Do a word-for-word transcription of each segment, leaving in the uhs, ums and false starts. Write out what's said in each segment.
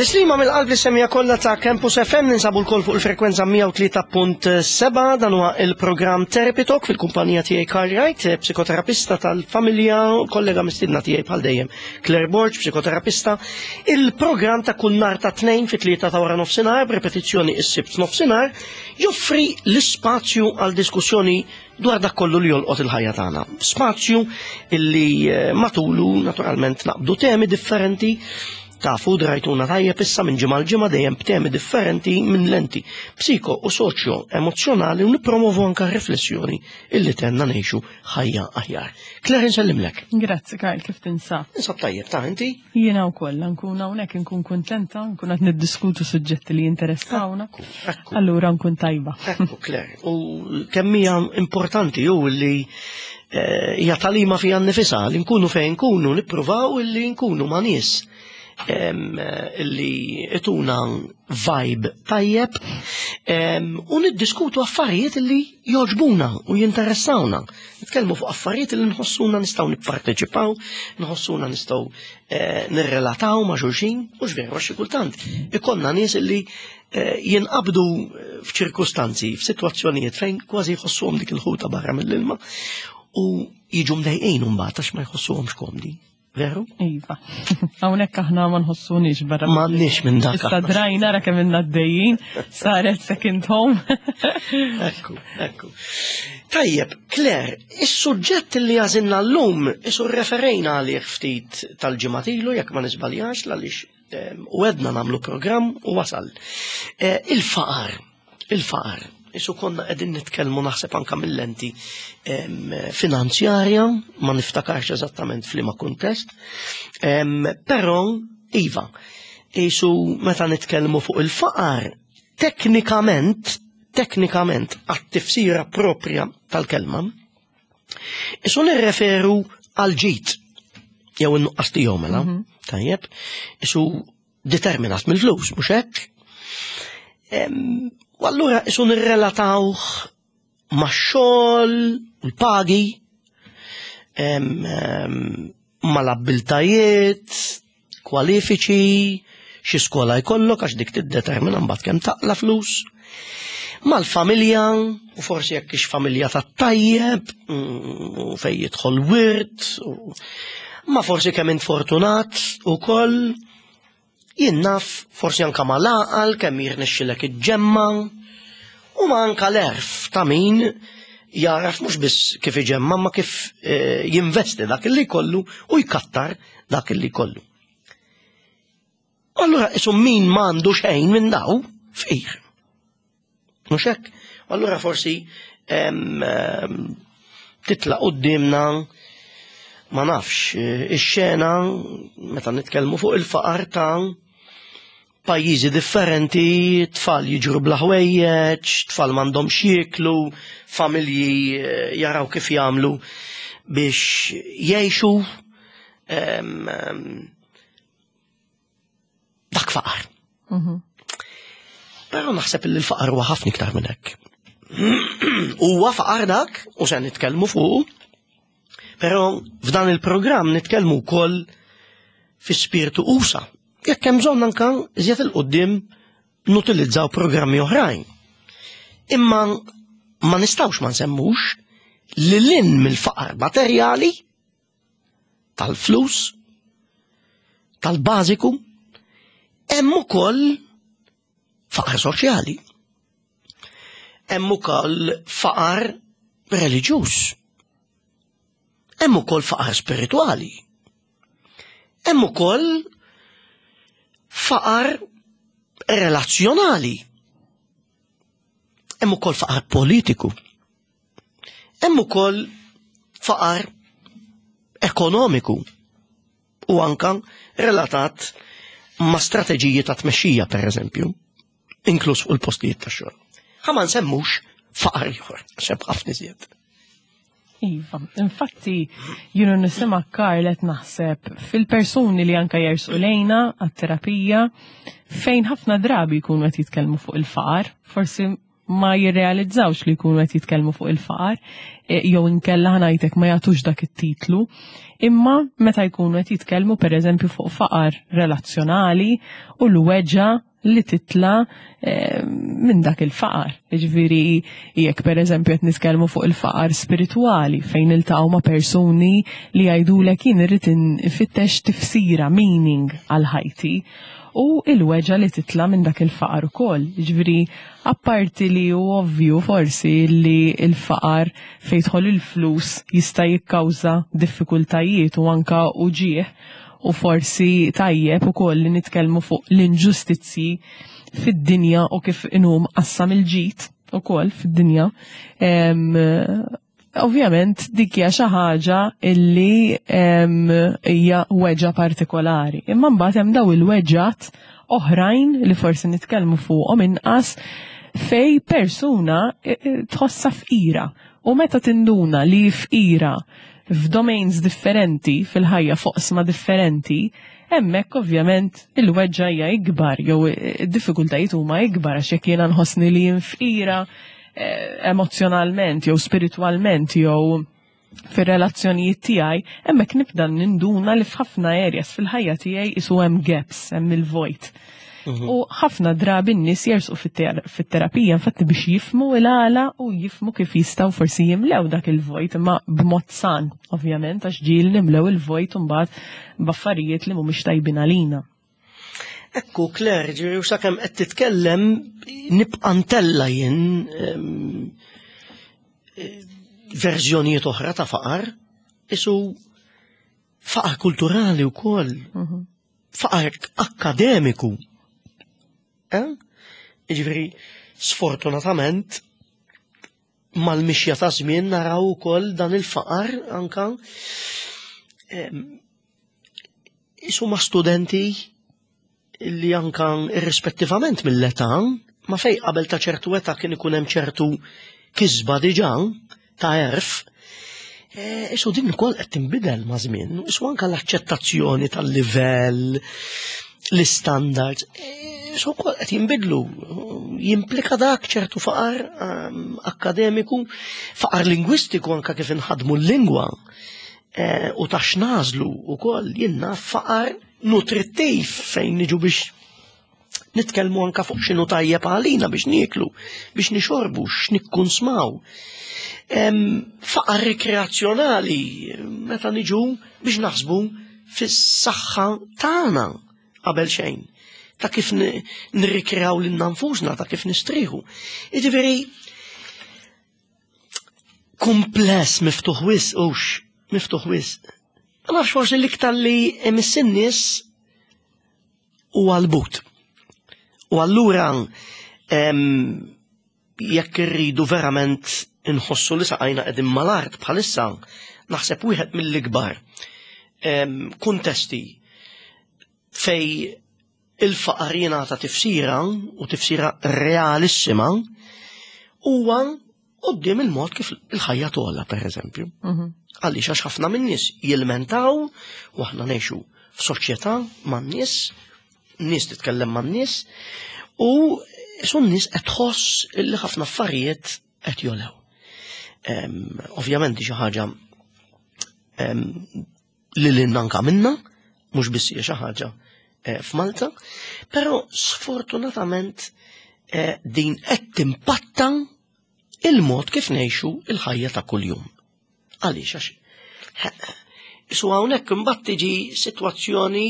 Tislima mill-qalb li semija kollha ta' Campus F M, ninsabu lkoll fuq il-frekwenza mija u tlieta punt sebgħa. Dan huwa il-programm Therapy Talk fil-kumpanija tiegħi Karl Wright, psikoterapista tal-familja, kollega mistidna tiegħi bħal dejjem Claire Borg, psikoterapista. Il-programm ta' kull nhar ta' tnejn fit-tlieta ta' wara nofsinhar, b'repetizzjoni is-Sibt nofsinhar, joffri l-ispazju għal diskussjoni dwar dak kollu li jolqot il-ħajja tagħna. Spazju illi eh, matulu naturalment naqbdu temi differenti. Tafu, drajtuna tajjeb issa minn ġimgħa l-ġimgħa dejjem b'temi differenti minn lenti psiko u soċjo emozjonali u nippromovu anka riflessjoni illi tgħinna ngħixu ħajja aħjar. Claire, nsellimlek. Grazzi Karl, kif tinsab? Ninsab tajjeb, ta' inti? Jiena wkoll nkun hawnhekk, nkun kuntenta, nkun qed niddiskutu suġġetti li jinteressawna. Ekku. Allura nkun tajba. Ekku, Claire, u kemm hija importanti ju li eh, hija tagħlima fiha nnifisha li nkunu fejn nkunu nippruvaw illi nkunu ma' nies em, illi jtuna vibe tajjeb em, u niddiskutu affarijiet illi joġbuna u jinteressawna. Nitkellmu fuq affarijiet illi nħossuna nistgħu nipparteċipaw, nħossuna nistgħu eh, nirrelataw ma' xulxin, u veru xi kultant ikollna nies illi eh, jinqabdu f'ċirkustanzi, f'sitwazzjonijiet fejn kważi jħossuhom dik il-ħuta barra mill-ilma u jiġu mdejqin mbagħad għax ma jħossuhomx komdi. Veru? Iva. Hawnhekk aħna ma nħossuniex barra. M'għandniex minn dak. Issa drajna ra kemm ilna għaddejjin, saret second home. Ekku, ekku. Tajjeb, Claire, is-suġġett li għażilna llum, isu referejna għalih ftit tal-ġimgħat ilu, jekk ma nisbaljax, għaliex em, u għedna nagħmlu programm u wasal. Eh, Il-faqar, il-faqar. Isu konna qegħdin nitkellmu naħseb anka mill-lenti em, finanzjarja, ma niftakarx eżattament f'liema kuntest, em, però iva, isu meta nitkellmu fuq il-faqar, teknikament, teknikament, għat-tifsira propria tal-kelma, isu nirreferu għal ġid, jew in-nuqqas tiegħu mela, tajjeb, isu determinat mill-flus, mhux hekk? Em, U allura isu nirrelatawh max-xogħol, l-pagi, em, em, mal-abbiltajiet, kwalifiċi, xi skola jkollok għax dik tiddetermina mbagħad kemm taqla flus. Mal-familja, u forsi jekk ix familja tat-tajjeb, mm, u fej jidħol wirt, u ma forsi kemm int fortunat ukoll, jien naf forsi anka mal-għaqal kemm jirnexxilek iġġemma, u ma anka l-għerf ta' min jaraf mhux biss kif iġemma ma kif eh, jinvesti dak li kollu u jkattar dak li kollu. Allura isu min m'għandu xejn minn daw fqir. Mhux hekk? Allura forsi em, em, titla' qudiemna, ma nafx, eh, ix-xena meta nitkellmu fuq il-faqar ta' pajjiżi differenti, tfal jiġru bla ħwejjeġ, tfal m'għandhomx jieklu, familji eh, jaraw kif jagħmlu biex jgħixu. em, em, Dak faqar. Però naħseb li l-faqar huwa ħafna iktar minn hekk. Huwa faqar dak, u se nitkellmu fuq, però f'dan il-programm nitkellmu wkoll fi spiritu usa. Jekk hemm bżonn anka iżjed 'il quddiem nutilizzaw programmi oħrajn. Imma ma nistgħux ma nsemmux li lil hinn mill-faqar materjali tal-flus, tal-bażiku, hemm ukoll faqar soċjali. Hemm ukoll faqar reliġjuż. Hemm ukoll faqar spiritwali. Hemm ukoll faqar relazzjonali. Hemm ukoll faqar politiku. Hemm ukoll faqar ekonomiku u anka relatat ma' strateġiji ta' tmexxija, per eżempju, inkluż fuq il-postijiet ta' xogħol. Ħa ma nsemmux faqar ieħor, xeb ħafna iżjed. Iva, infatti, jiena nisma' Karl qed naħseb fil-persuni li anka jersu lejna għat-terapija fejn ħafna drabi jkunu qed jitkellmu fuq il-faqar, forsi ma jirrealizzawx li jkunu qed jitkellmu fuq il-faqar, e, jew inkella ħa ngħidlek ma jagħtux dak it-titlu. Imma meta jkunu qed jitkellmu, pereżempju, fuq faqar relazzjonali u l-weġgħa li titla eh, minn dak il-faqar. Ġifieri, jekk per eżempju qed nitkellmu fuq il-faqar spiritwali, fejn iltaqgħu ma' persuni li jgħidulek, "Jien irrid infittex tifsira, meaning għal ħajti," u il-weġgħa li titla minn dak il-faqar ukoll. Ġifieri, apparti li hu ovvju forsi li il-faqar fejn jidħol il-flus jista' jikkawża diffikultajiet u anka uġieħ, u forsi tajjeb ukoll li nitkellmu fuq l-inġustizzi fid-dinja u kif inhu mqassam il-ġid ukoll fid-dinja. Ovvjament dik hija xi ħaġa illi hija weġgħa partikolari. Imma mbagħad hemm daw il-weġgħat oħrajn li forsi nitkellmu fuqhom inqas, fej persuna e, e, tħossha fqira. U meta tinduna li fqira f'domains differenti fil-ħajja, f'oqsma differenti, hemmhekk ovvjament il-weġgħa hija ikbar jew id-diffikultajiet huma ikbar, għax jekk jiena nħossni li jien fqira eh, emozjonalment jew spiritwalment jew fir-relazzjonijiet tiegħi, hemmhekk nibda ninduna li f'ħafna areas fil-ħajja tiegħi isu hemm gaps, hemm il-vojt. Mhm. U ħafna drabi n-nies jersqu fit-terapija infatti biex jifhmu il-għala u jifhmu kif jistgħu forsi jimlew dak il-vojt, imma b'mod san, ovvjament, għax ġieli nimlew il-vojt mbagħad b'affarijiet li mhumiex tajbin għalina. Ekku, Claire, ġifieri, u sakemm qed titkellem nibqa' ntella' jien verżjonijiet oħra ta' faqar, isu faqar kulturali wkoll, mhm. faqar akademiku. Eh? Ġifieri, sfortunatament, mal-mixja ta' żmien naraw ukoll dan il-faqar anka isu ma' studenti li anka irrispettivament mill-età, ma fej qabel ta' ċertu età kien ikun hemm ċertu kisba diġà ta' għerf, e, isu din ukoll qed tinbidel ma' żmien, isu anka l-aċċettazzjoni tal-livell, l-standards, isu wkoll qed jinbidlu. Jimplika dak ċertu faqar um, akademiku, faqar lingwistiku anka kif inħadmu l-lingwa e, u ta' x'nagħżlu ukoll jiena, faqar nutrittiv fejn niġu biex nitkellmu anka fuq x'inhu tajjeb għalina biex nieklu, biex nixorbu, x'nikkunsmaw. Faqar rekreazzjonali meta niġu biex naħsbu fis-saħħa tagħna qabel xejn, ta' kif nirrikreaw lilna nfusna, ta' kif nistrieħu. Jiġifieri kumpless, miftuħ wisq, ux, miftuħ wisq. Ma nafx, forsi l-iktar li imiss in-nies hu għall-but. U allura jekk irridu verament inħossu li saqajna qegħdin mal-art bħalissa, naħseb wieħed mill-ikbar kuntesti fej il-faqar jingħata tifsira u tifsira realissima huwa quddiem il-mod kif il-ħajja togħla, per eżempju. Mhm. Għaliex? Għax ħafna min-nies jilmentaw, u aħna ngħixu f'soċjetà man-nies, nies titkellem man-nies, u sun nies qed tħoss li ħafna affarijiet qed jogħlew. Ovvjament xi ħaġa li lil anka minna, mhux biss hija xi ħaġa eh, f'Malta, però sfortunatament eh, din qed timpatta il-mod kif ngħixu il-ħajja ta' kuljum. Għaliex? Għax Isu hawnhekk imbagħad tiġi sitwazzjoni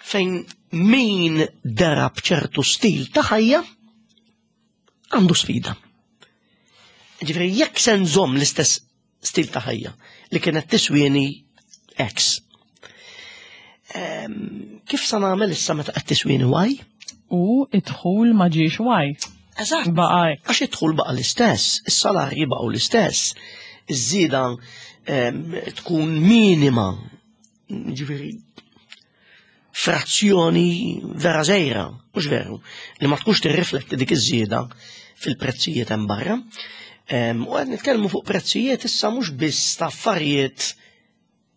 fejn min dera b'ċertu stil ta' ħajja għandu sfida. Ġifieri, jekk se nżomm l-istess stil ta' ħajja li kienet tiswieni X, kif sa nagħmel issa meta qed tiswieni Y? U id-dħul ma ġiex Y. Eżatt. Baqa' X. Għax id-dħul baqa' l-istess, is-salarji baqgħu l-istess, iż-żieda tkun minima, ġifieri frazzjoni vera żgħira, mhux veru, li ma tkunx tirrifletti dik iż-żieda fil-prezzijiet hemm barra. U qed nitkellmu fuq prezzijiet issa mhux biss ta' affarijiet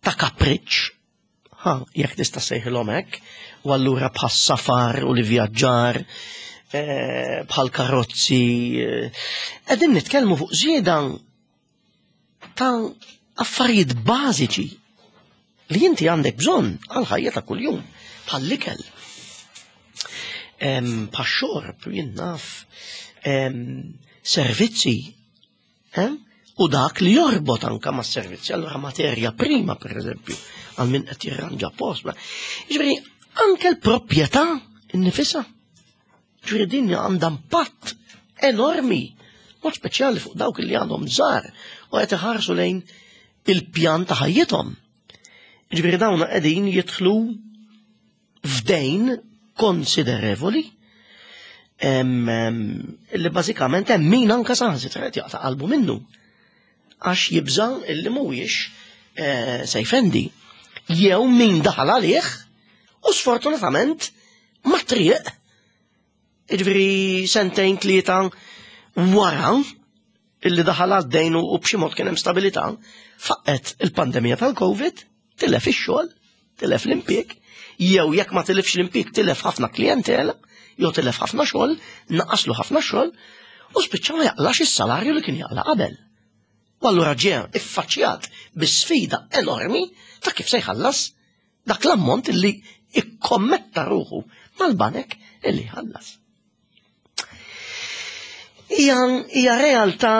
ta' kapriċ, ha, jekk tista' sejħilhom hekk, u allura bħas-safar u l-vjaġġar, eh, bħal karozzi, eh, qegħdin nitkellmu fuq żieda ta' affarijiet bażiċi li inti għandek bżonn għal ħajja ta' kuljum, bħal l-ikel, em, bħal xorb, jien naf, em, servizzi, em, u dak li jorbot anka ma' servizzi, allura materja prima, per eżempju, għal min qed jirranġa post. ma- Jiġifieri, anke l-proprjetà innifisha. Ġifieri din għandha impatt enormi, mod speċjali fuq dawk li għandhom żgħar u qed iħarsu lejn il-pjan ta' ħajjithom. Ġifieri dawn qegħdin jidħlu f'dejn konsiderevoli em, em, li bażikament hemm min anka saħansitra qed jaqta' qalbu minnu għax jibża illi mhuwiex eh, se jfendi. Jew min daħal għalih u sfortunatament ma triq Jiġifieri sentejn tlieta wara illi daħal għad-dejn u b'xi mod kien hemm stabilità, faqqet il-pandemija tal-Covid, tilef ix-xogħol, tilef l-impjieg, jew jekk ma tilifx l-impjieg tilef ħafna klijentela, jew tilef ħafna xogħol, naqaslu ħafna xogħol, u spiċċa ma jaqlax is-salarju li kien jaqla qabel. U allura ġie iffaċċjat bi sfida enormi ta' kif se jħallas dak l-ammont illi ikkommetta ruħu mal-banek illi jħallas. Hija hija realtà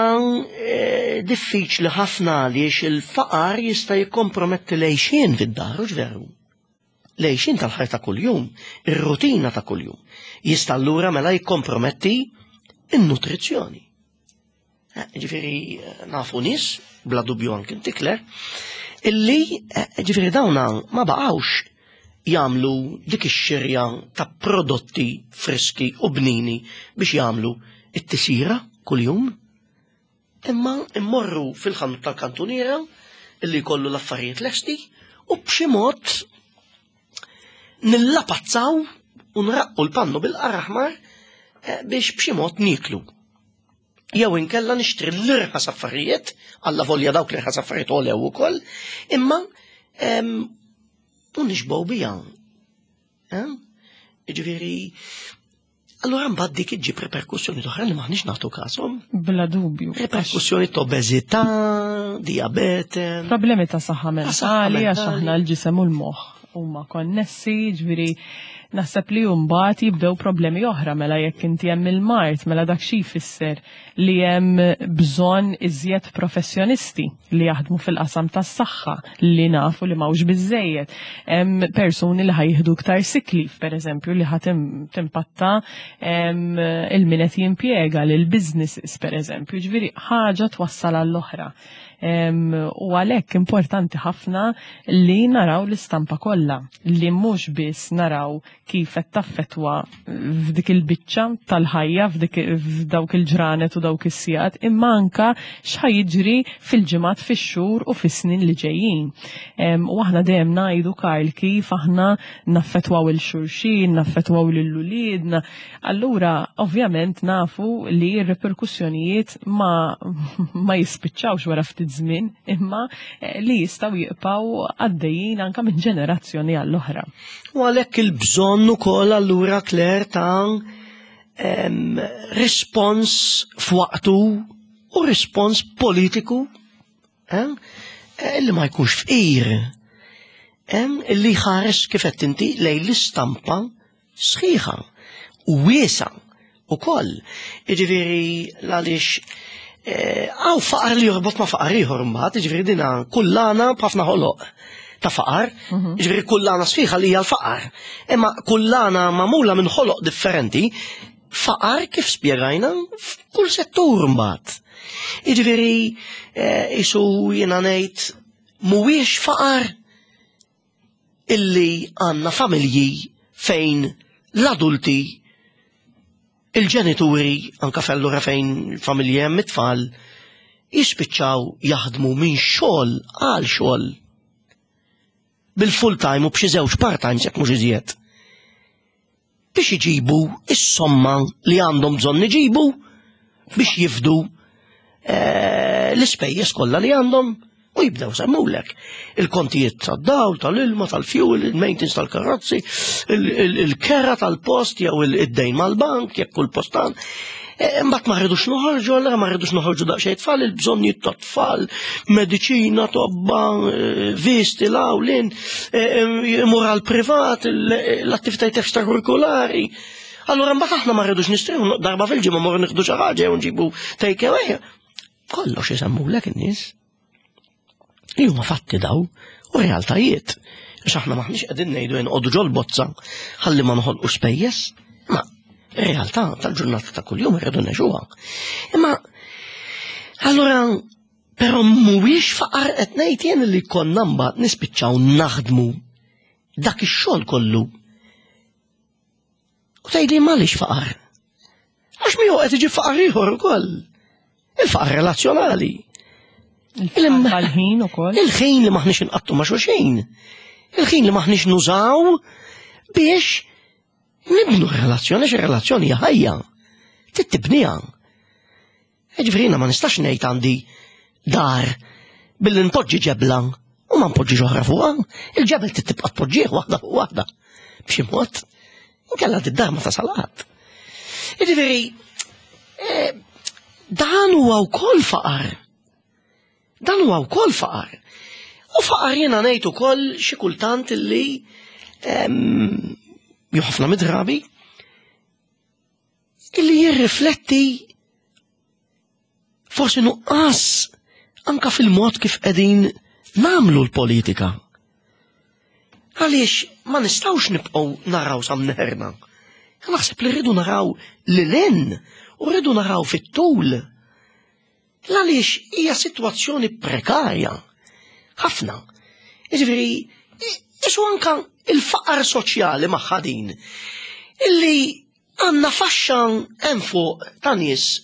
eh, diffiċli ħafna għaliex il-faqar jista' jikkomprometti l-għixien fid-dar, hux veru? L-għixien tal-ħajja ta' kuljum, ir-rutina ta' kuljum, jista' allura mela jikkomprometti in-nutrizzjoni. Eh, Ġifieri eh, nafu nies, bla dubju anke inti Claire, illi eh, ġifieri dawna ma baqgħux jagħmlu dik ix-xirja ta' prodotti friski u bnini biex jagħmlu it-tisira kuljum. Imma immorru fil-ħanut tal-kantuniera illi jkollu l-affarijiet lesti u b'xi mod nillapazzaw u nraqqu l-pannu bil-qaraħmar eh, biex b'xi mod niklu. Jew inkella nixtri l-irħas affarijiet, alla volja dawk l-irħas affarijiet għolew ukoll, imma em, u nixbgħu biha. Eh? Ġifieri, allura mbagħad dik iġġib reperkussjoni oħra li m'aħniex nagħtu kashom. Bla dubju. Reperkussjoni ta' obeżità, diabete. Problemi ta' saħħa Ta' saħħa mentali, għax mentali. aħna l-ġisem u l-moħħ huma konnessi, ġifieri naħseb li mbagħad jibdew problemi oħra mela jekk inti hemm il-mard, mela dak xi jfisser li hemm bżonn iżjed professjonisti li jaħdmu fil-qasam tas-saħħa li nafu li m'hawnx biżejjed. Hemm persuni li ħa jieħdu iktar sick leave, pereżempju, li ħa tim- timpatta em, il-min qed jimpjega lil businesses pereżempju, ġifieri ħaġa twassal għall-oħra. Em, U għalhekk importanti ħafna li naraw l-istampa kollha, li mhux biss naraw kif qed taffetwa f'dik il-biċċa tal-ħajja f'dik f'dawk il-ġranet u dawk is-sigħat, imma anka x'ħa jiġri fil-ġimgħat, fix-xhur u fis-snin li ġejjin. Em, U aħna dejjem ngħidu Karl kif aħna naffetwaw lil xulxin, naffetwaw lil uliedna. Allura, ovvjament nafu li r-reperkussjonijiet ma, ma jispiċċawx wara ftit żmien, imma eh, li jistgħu jibqgħu għaddejjin anka minn ġenerazzjoni għall-oħra. U għalhekk il-bżonn ukoll allura Claire ta' em, rispons f'waqtu u rispons politiku eh, eh, li ma jkunx fqir. Em, Illi ħares kif qed inti lejn l-istampa sħiħa u wiesa ukoll. Jiġifieri għaliex hawn faqar li jorbot ma' faqar ieħor mbagħad, jiġifieri dina kullana b'ħafna ħoloq ta' faqar, jiġifieri kullana sħiħa li hija l-faqar. Imma kullana magħmula minn ħoloq differenti, faqar kif spjegajna f'kull settur mbagħad. Jiġifieri eh, isu jiena ngħid mhuwiex faqar illi għandna familji fejn l-adulti il-ġenituri, anka fellura fejn familji hemm it-tfal, jispiċċaw jaħdmu minn xogħol għal xogħol bil-full time u b'xi żewġ part time jekk mhux iżjed. Biex iġibu is-somma li għandhom bżonn iġibu biex jifdu eh, l-ispejjeż kollha li għandhom U jibdew semmulek il-kontijiet tad-dawl, tal-ilma, tal-fuel, il-maintenance tal-karozzi, il-kera tal-post jew id-dejn mal-bank, jekk kull postan. E, mbagħad ma rridux noħorġu, allura ma rridux noħorġu daqsxejn tfal, il-bżonnijiet tat-tfal, mediċina, tobba, e, visti, lawlin, e, imur għal privat, l-attivitajiet extracurriculari. Allura mbagħad aħna ma rridux nistrieħu darba fil-ġimgħa morru nieħdu xi ħaġa jew nġibu take away. Kollox isemmulek in-nies. Li huma fatti daw u realtajiet. Għax aħna maħniex qegħdin ngħidu nqogħdu ġol-bozza ħalli ma noħolqu spejjeż. Ma realtà tal-ġurnata ta' kuljum irridu ngħixuha. Imma allura però mhuwiex faqar qed ngħid jien li konna mbagħad nispiċċaw naħdmu dak ix-xogħol kollu. U tgħidli m'għaliex faqar? Għax miegħu qed iġi faqar ieħor ukoll. Il-faqar relazzjonali. Il-ħin ukoll. Il-ħin li maħniex inqattu ma' xulxin. Il-ħin li maħniex nużaw biex nibnu relazzjoni, xi relazzjoni hija ħajja. Tibniha. Ġifieri ma nistax ngħid għandi dar billi npoġġi ġebla u ma npoġġi oħra fuqha. Il-ġebel tibqa' tpoġġih waħda fuq waħda. B'xi mod, inkella d-dar ma tasal qatt. Ġifieri, eh, dan huwa wkoll faqar. Dan huwa wkoll faqar. U faqar jiena ngħid ukoll xi kultant illi jew ħafna mid-drabi illi jirrifletti forsi nuqqas anka fil-mod kif qegħdin nagħmlu l-politika. Għaliex ma nistgħux nibqgħu naraw sa mneħirna. Naħseb li rridu naraw lil hinn u rridu naraw fit-tul. Għaliex hija sitwazzjoni prekarja. Ħafna. Jiġifieri, isu anka il-faqar soċjali magħha din. Illi għandna faxxa hemm fuq ta' nies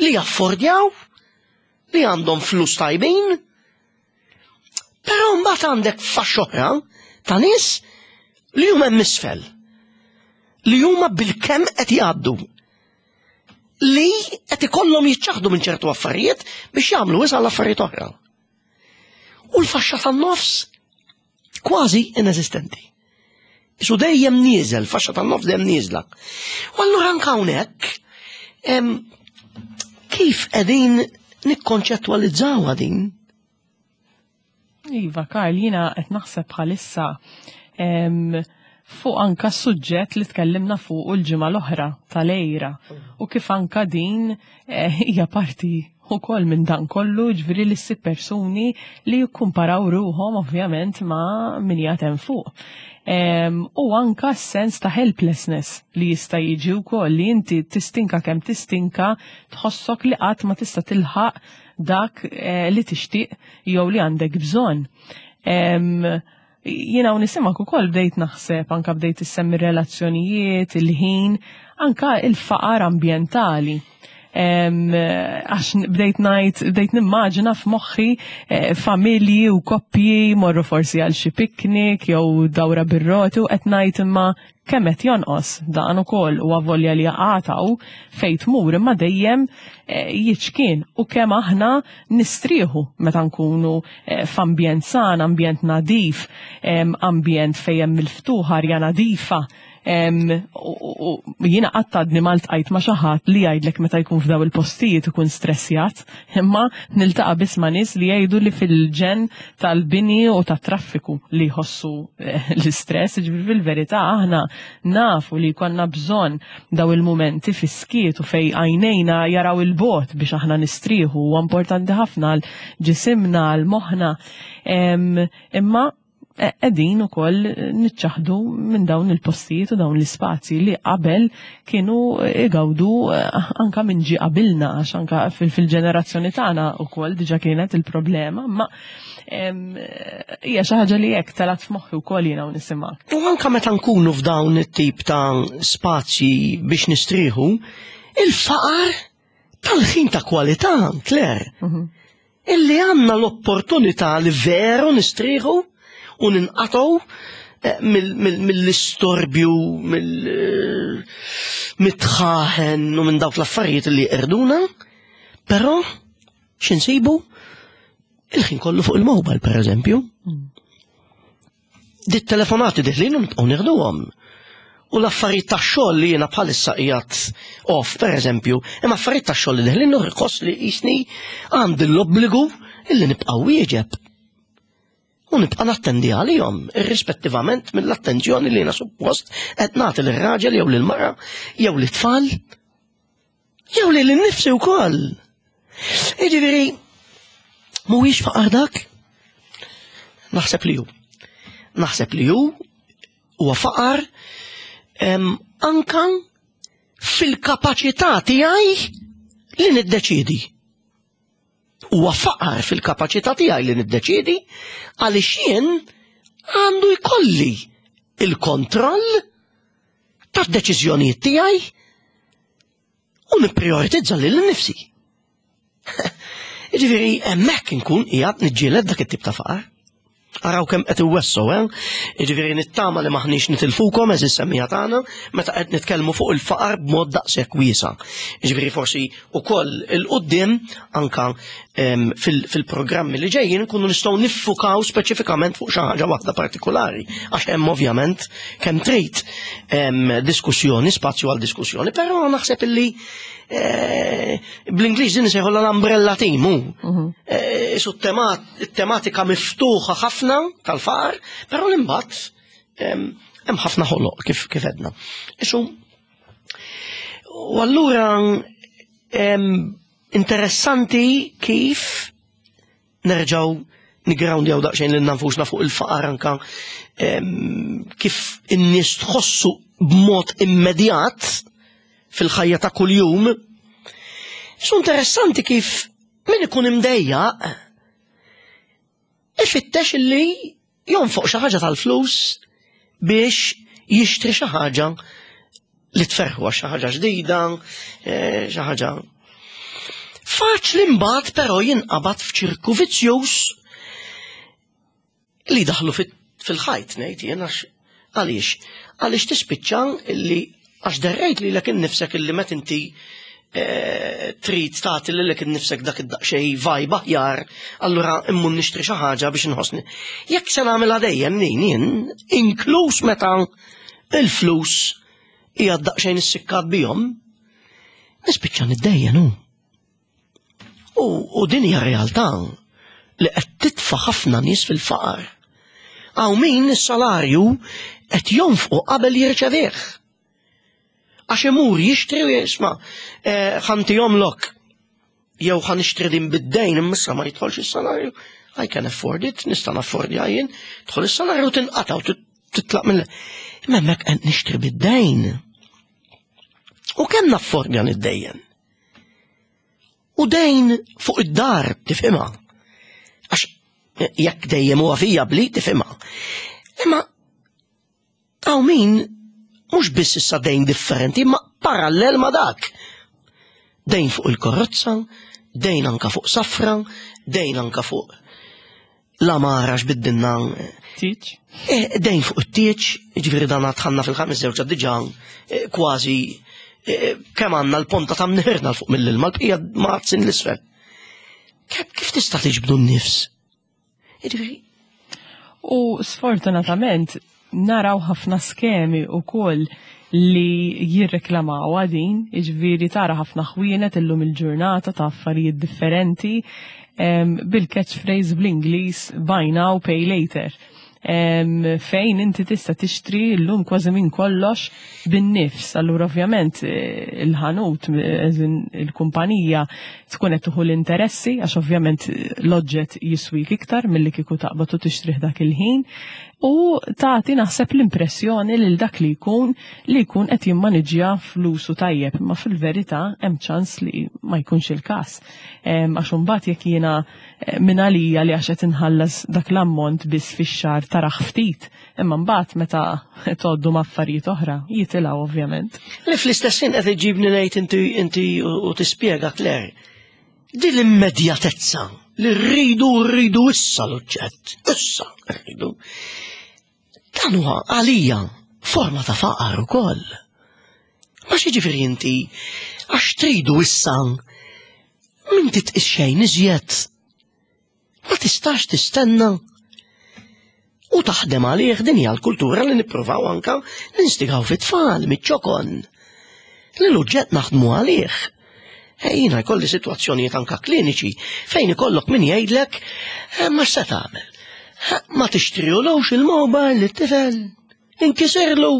li jaffordjaw, li għandhom flus tajbin, però mbagħad għandek faxxa oħra ta' nies li huma hemm isfel, li huma bil-kemm qed jgħaddu, li qed ikollhom jiċċaħdu minn ċertu affarijiet biex jagħmlu wisa għal affarijiet oħra. U l-faxxa tan-nofs kważi ineżistenti. Isu dejjem nieżel, faxxa tan-nofs dejjem nieżla. U allura anke hawnhekk kif qegħdin nikkonċettwalizzawha din? Iva, Karl, jiena qed naħseb bħalissa fuq anka suġġett li tkellimna fuq il-ġimgħa l-oħra tal-għira u kif anka din eh, hija parti ukoll minn dan kollu, ġifieri li ssib persuni li jikkumparaw ruħhom ovvjament ma' min hemm fuq. U anka s-sens ta' helplessness li jista' jiġi wkoll li inti tistinka kemm tistinka tħossok li qatt ma tista' tilħaq dak eh, li tixtieq jew li għandek bżonn. Jiena u nisimak ukoll bdejt naħseb, anka bdejt issemmi relazzjonijiet, il-ħin, anka il-faqar ambjentali. Għax bdejt ngħid, bdejt nimmaġina f'moħħi eh, familji u koppji morru forsi għal xi piknik jew dawra bir-roti u qed ngħid imma kemm qed jonqos dan ukoll u avolja li jaqataw fejn tmur imma dejjem eh, jiċkien u kemm aħna nistrieħu meta nkunu eh, f'ambjent san, ambjent nadif, ambjent fejn hemm il-ftuħ, arja nadifa. Jiena qatt għadni ma ltqajt ma' xi ħadd li jgħidlek meta jkun f'daw il-postijiet ikun stressjat, imma niltaqa' biss ma' nies li jgħidu li fil-ġen tal-bini u tat-traffiku li jħossu eh, l-istress, ġifieri fil-verità aħna nafu li jkollna bżonn daw il-mumenti fis-skiet u fej għajnejna jaraw il-bogħod biex aħna nistrieħu, huwa importanti ħafna għal ġisimna, għal moħħna. Imma qegħdin ukoll niċċaħdu minn dawn il-postijiet u dawn l-ispazji li qabel kienu igawdu eh, anka minn ġi qabilna, għax anka fil-ġenerazzjoni tagħna ukoll diġà kienet il-problema, ma hija xi ħaġa li hekk telat f'moħħi wkoll jiena u nisimgħek. U anka meta nkunu f'dawn it-tip ta' spazji biex nistrieħu, il-faqar tal-ħin ta' kwalità, Claire, mhm. illi għandna l-opportunità li veru nistrieħu u ninqatgħu eh, mill-istorbju, mill-dħaħen u minn dawk l-affarijiet li irduna, però x'insibu? Il-ħin kollu fuq il-mobile, per eżempju. Dit telefonati diħlin u nibqgħu nieħduhom. U l-affarijiet tax-xogħol li jiena bħalissa qiegħed off, per eżempju, imma affarijiet tax-xogħol li deħlin nħoss li jisni għandi l-obbligu illi nibqa' wieġeb. U nibqa' nattendi għalihom, irrispettivament mill-attenzjoni li jiena suppost qed nagħti lir-raġel jew lill-mara jew lit-tfal jew lil innifsi wkoll. Jiġifieri mhuwiex faqar dak? Naħseb li hu. Naħseb li hu huwa faqar em, anka fil-kapaċità tiegħi li niddeċidi. Huwa faqar fil-kapaċità tiegħi li niddeċidi għaliex jien għandu jkolli il-kontroll tad-deċiżjonijiet tiegħi u nipprioritizza lil nifsi. Jiġifieri hemmhekk inkun qiegħed niġġieled dak it-tip ta' faqar. Araw kemm qed iwessu, eh? Jiġifieri nittama li maħniex nitilfukom eżis semmiegħa tagħna meta qed nitkellmu fuq il-faqar b'mod daqshekk wiesa'. Jiġifieri forsi wkoll il-qudiem anka em, fil- fil-programmi li ġejjin nkunu nistgħu niffukaw speċifikament fuq xi ħaġa waħda partikolari għax hemm ovvjament kemm trid em, diskussjoni, spazju għal diskussjoni, però naħseb illi eh, bl-Ingliż din isejħu l-umbrella theme hu. Eh, Su tematika miftuħa ħafna tal-faqar, però l-imbagħad em, hemm ħafna ħoloq kif kif edna. Isu u allura em, interessanti kif nerġaw nigroundjaw daqsxejn lil nfusna fuq il-faqar anka em, kif in-nies tħossu b'mod immedjat fil-ħajja ta' kuljum. Su interessanti kif min ikun imdejjaq ifittex illi jonfoq xi ħaġa tal-flus biex jixtri xi ħaġa li tferħu għax xi ħaġa ġdida, eh, xi ħaġa. Faċli mbagħad però jinqabad f'ċirku vizzjuż li daħlu fil-ħajt ngħid jien għax għaliex għaliex tispiċċa illi għax derrejt li lek innifsek illi meta inti eh, trid tagħti lilek innifsek dak id-daqsxejn vibe aħjar, allura immur nixtri xi ħaġa biex inħossni. Jekk se nagħmilha dejjem nin jien, inkluż meta il-flus hija daqsxejn issikkat bihom, nispiċċa niddejjen hu. U, u din hija realtà li qed titfa' ħafna nies fil-faqar. Hawn min is-salarju qed jonfqu qabel jirċevih. Għax imur jixtri u jisma' eh, ħa ntihomlok jew ħa nixtri din bid-dejn imma ma jidħolx is-salarju. I can afford it, nista' naffordja jien, tidħol is-salarju tinqata' u titlaq mill. Imma hemmhekk qed nixtri bid-dejn. U kemm naffordja niddejjen? U dejn fuq id-dar, tifhimha. Għax jekk dejjem huwa vijabbli, tifhimha. Imma hawn min mhux biss issa dejn differenti, ma parallel ma dak. Dejn fuq il-karozza, dejn anka fuq safra, dejn anka fuq l-għamara x'biddilna. Tieġ? Eh, dejn fuq it-tieġ, ġifieri dan dħalna fil-ħames żewġa diġà eh, kważi eh, kemm għandna l-ponta ta' mnieħirna 'l fuq mill-ilma, l-bqija mgħaddsin 'l isfel. Kif tista' tiġbdu n-nifs? Ġifieri. U sfortunatament naraw ħafna skemi u koll li jirreklamaw għadin, iġviri tara ħafna ħwienet illum il-ġurnata ta' affarijiet differenti bil-catchphrase bl-Ingliż "buy now, pay later". Fejn inti tista' tixtri llum kważi minn kollox bin-nifs. Allura ovvjament eh, il-ħanut, il-kumpanija tkun qed tieħu l-interessi għax ovvjament l-oġġett jiswik iktar milli kieku taqbad u tixtrih dak il-ħin u tagħti naħseb l-impressjoni lil dak li jkun li jkun qed jimmaniġġja flusu tajjeb, imma fil-verità hemm ċans li ma jkunx il-każ. Għax imbagħad jekk jiena eh, minn għalija li għax qed inħallas dak l-ammont biss fix-xahar taraħ ftit, imma mbagħad meta tgħoddu ma' affarijiet oħra jitilgħu ovvjament. Li fl-istess ħin qed iġibni ngħid inti inti u tispjega Claire. Din l-immedjatezza li rridu rridu issa l-oġġett, issa rridu. Dan huwa għalija forma ta' faqar ukoll. Ma ġifieri inti għax tridu issa min titqis xejn iżjed. Ma tistax tistenna u taħdem għalih. Din hija l-kultura li nippruvaw anka ninstigaw fit-tfal miċ-ċokon. Li l-oġġett naħdmu għalih. Jiena jkolli sitwazzjonijiet anka kliniċi fejn ikollok min jgħidlek, eh, ma x'se tagħmel? Eh, ma tixtrilux il-mobile lit-tifel, inkisirlu.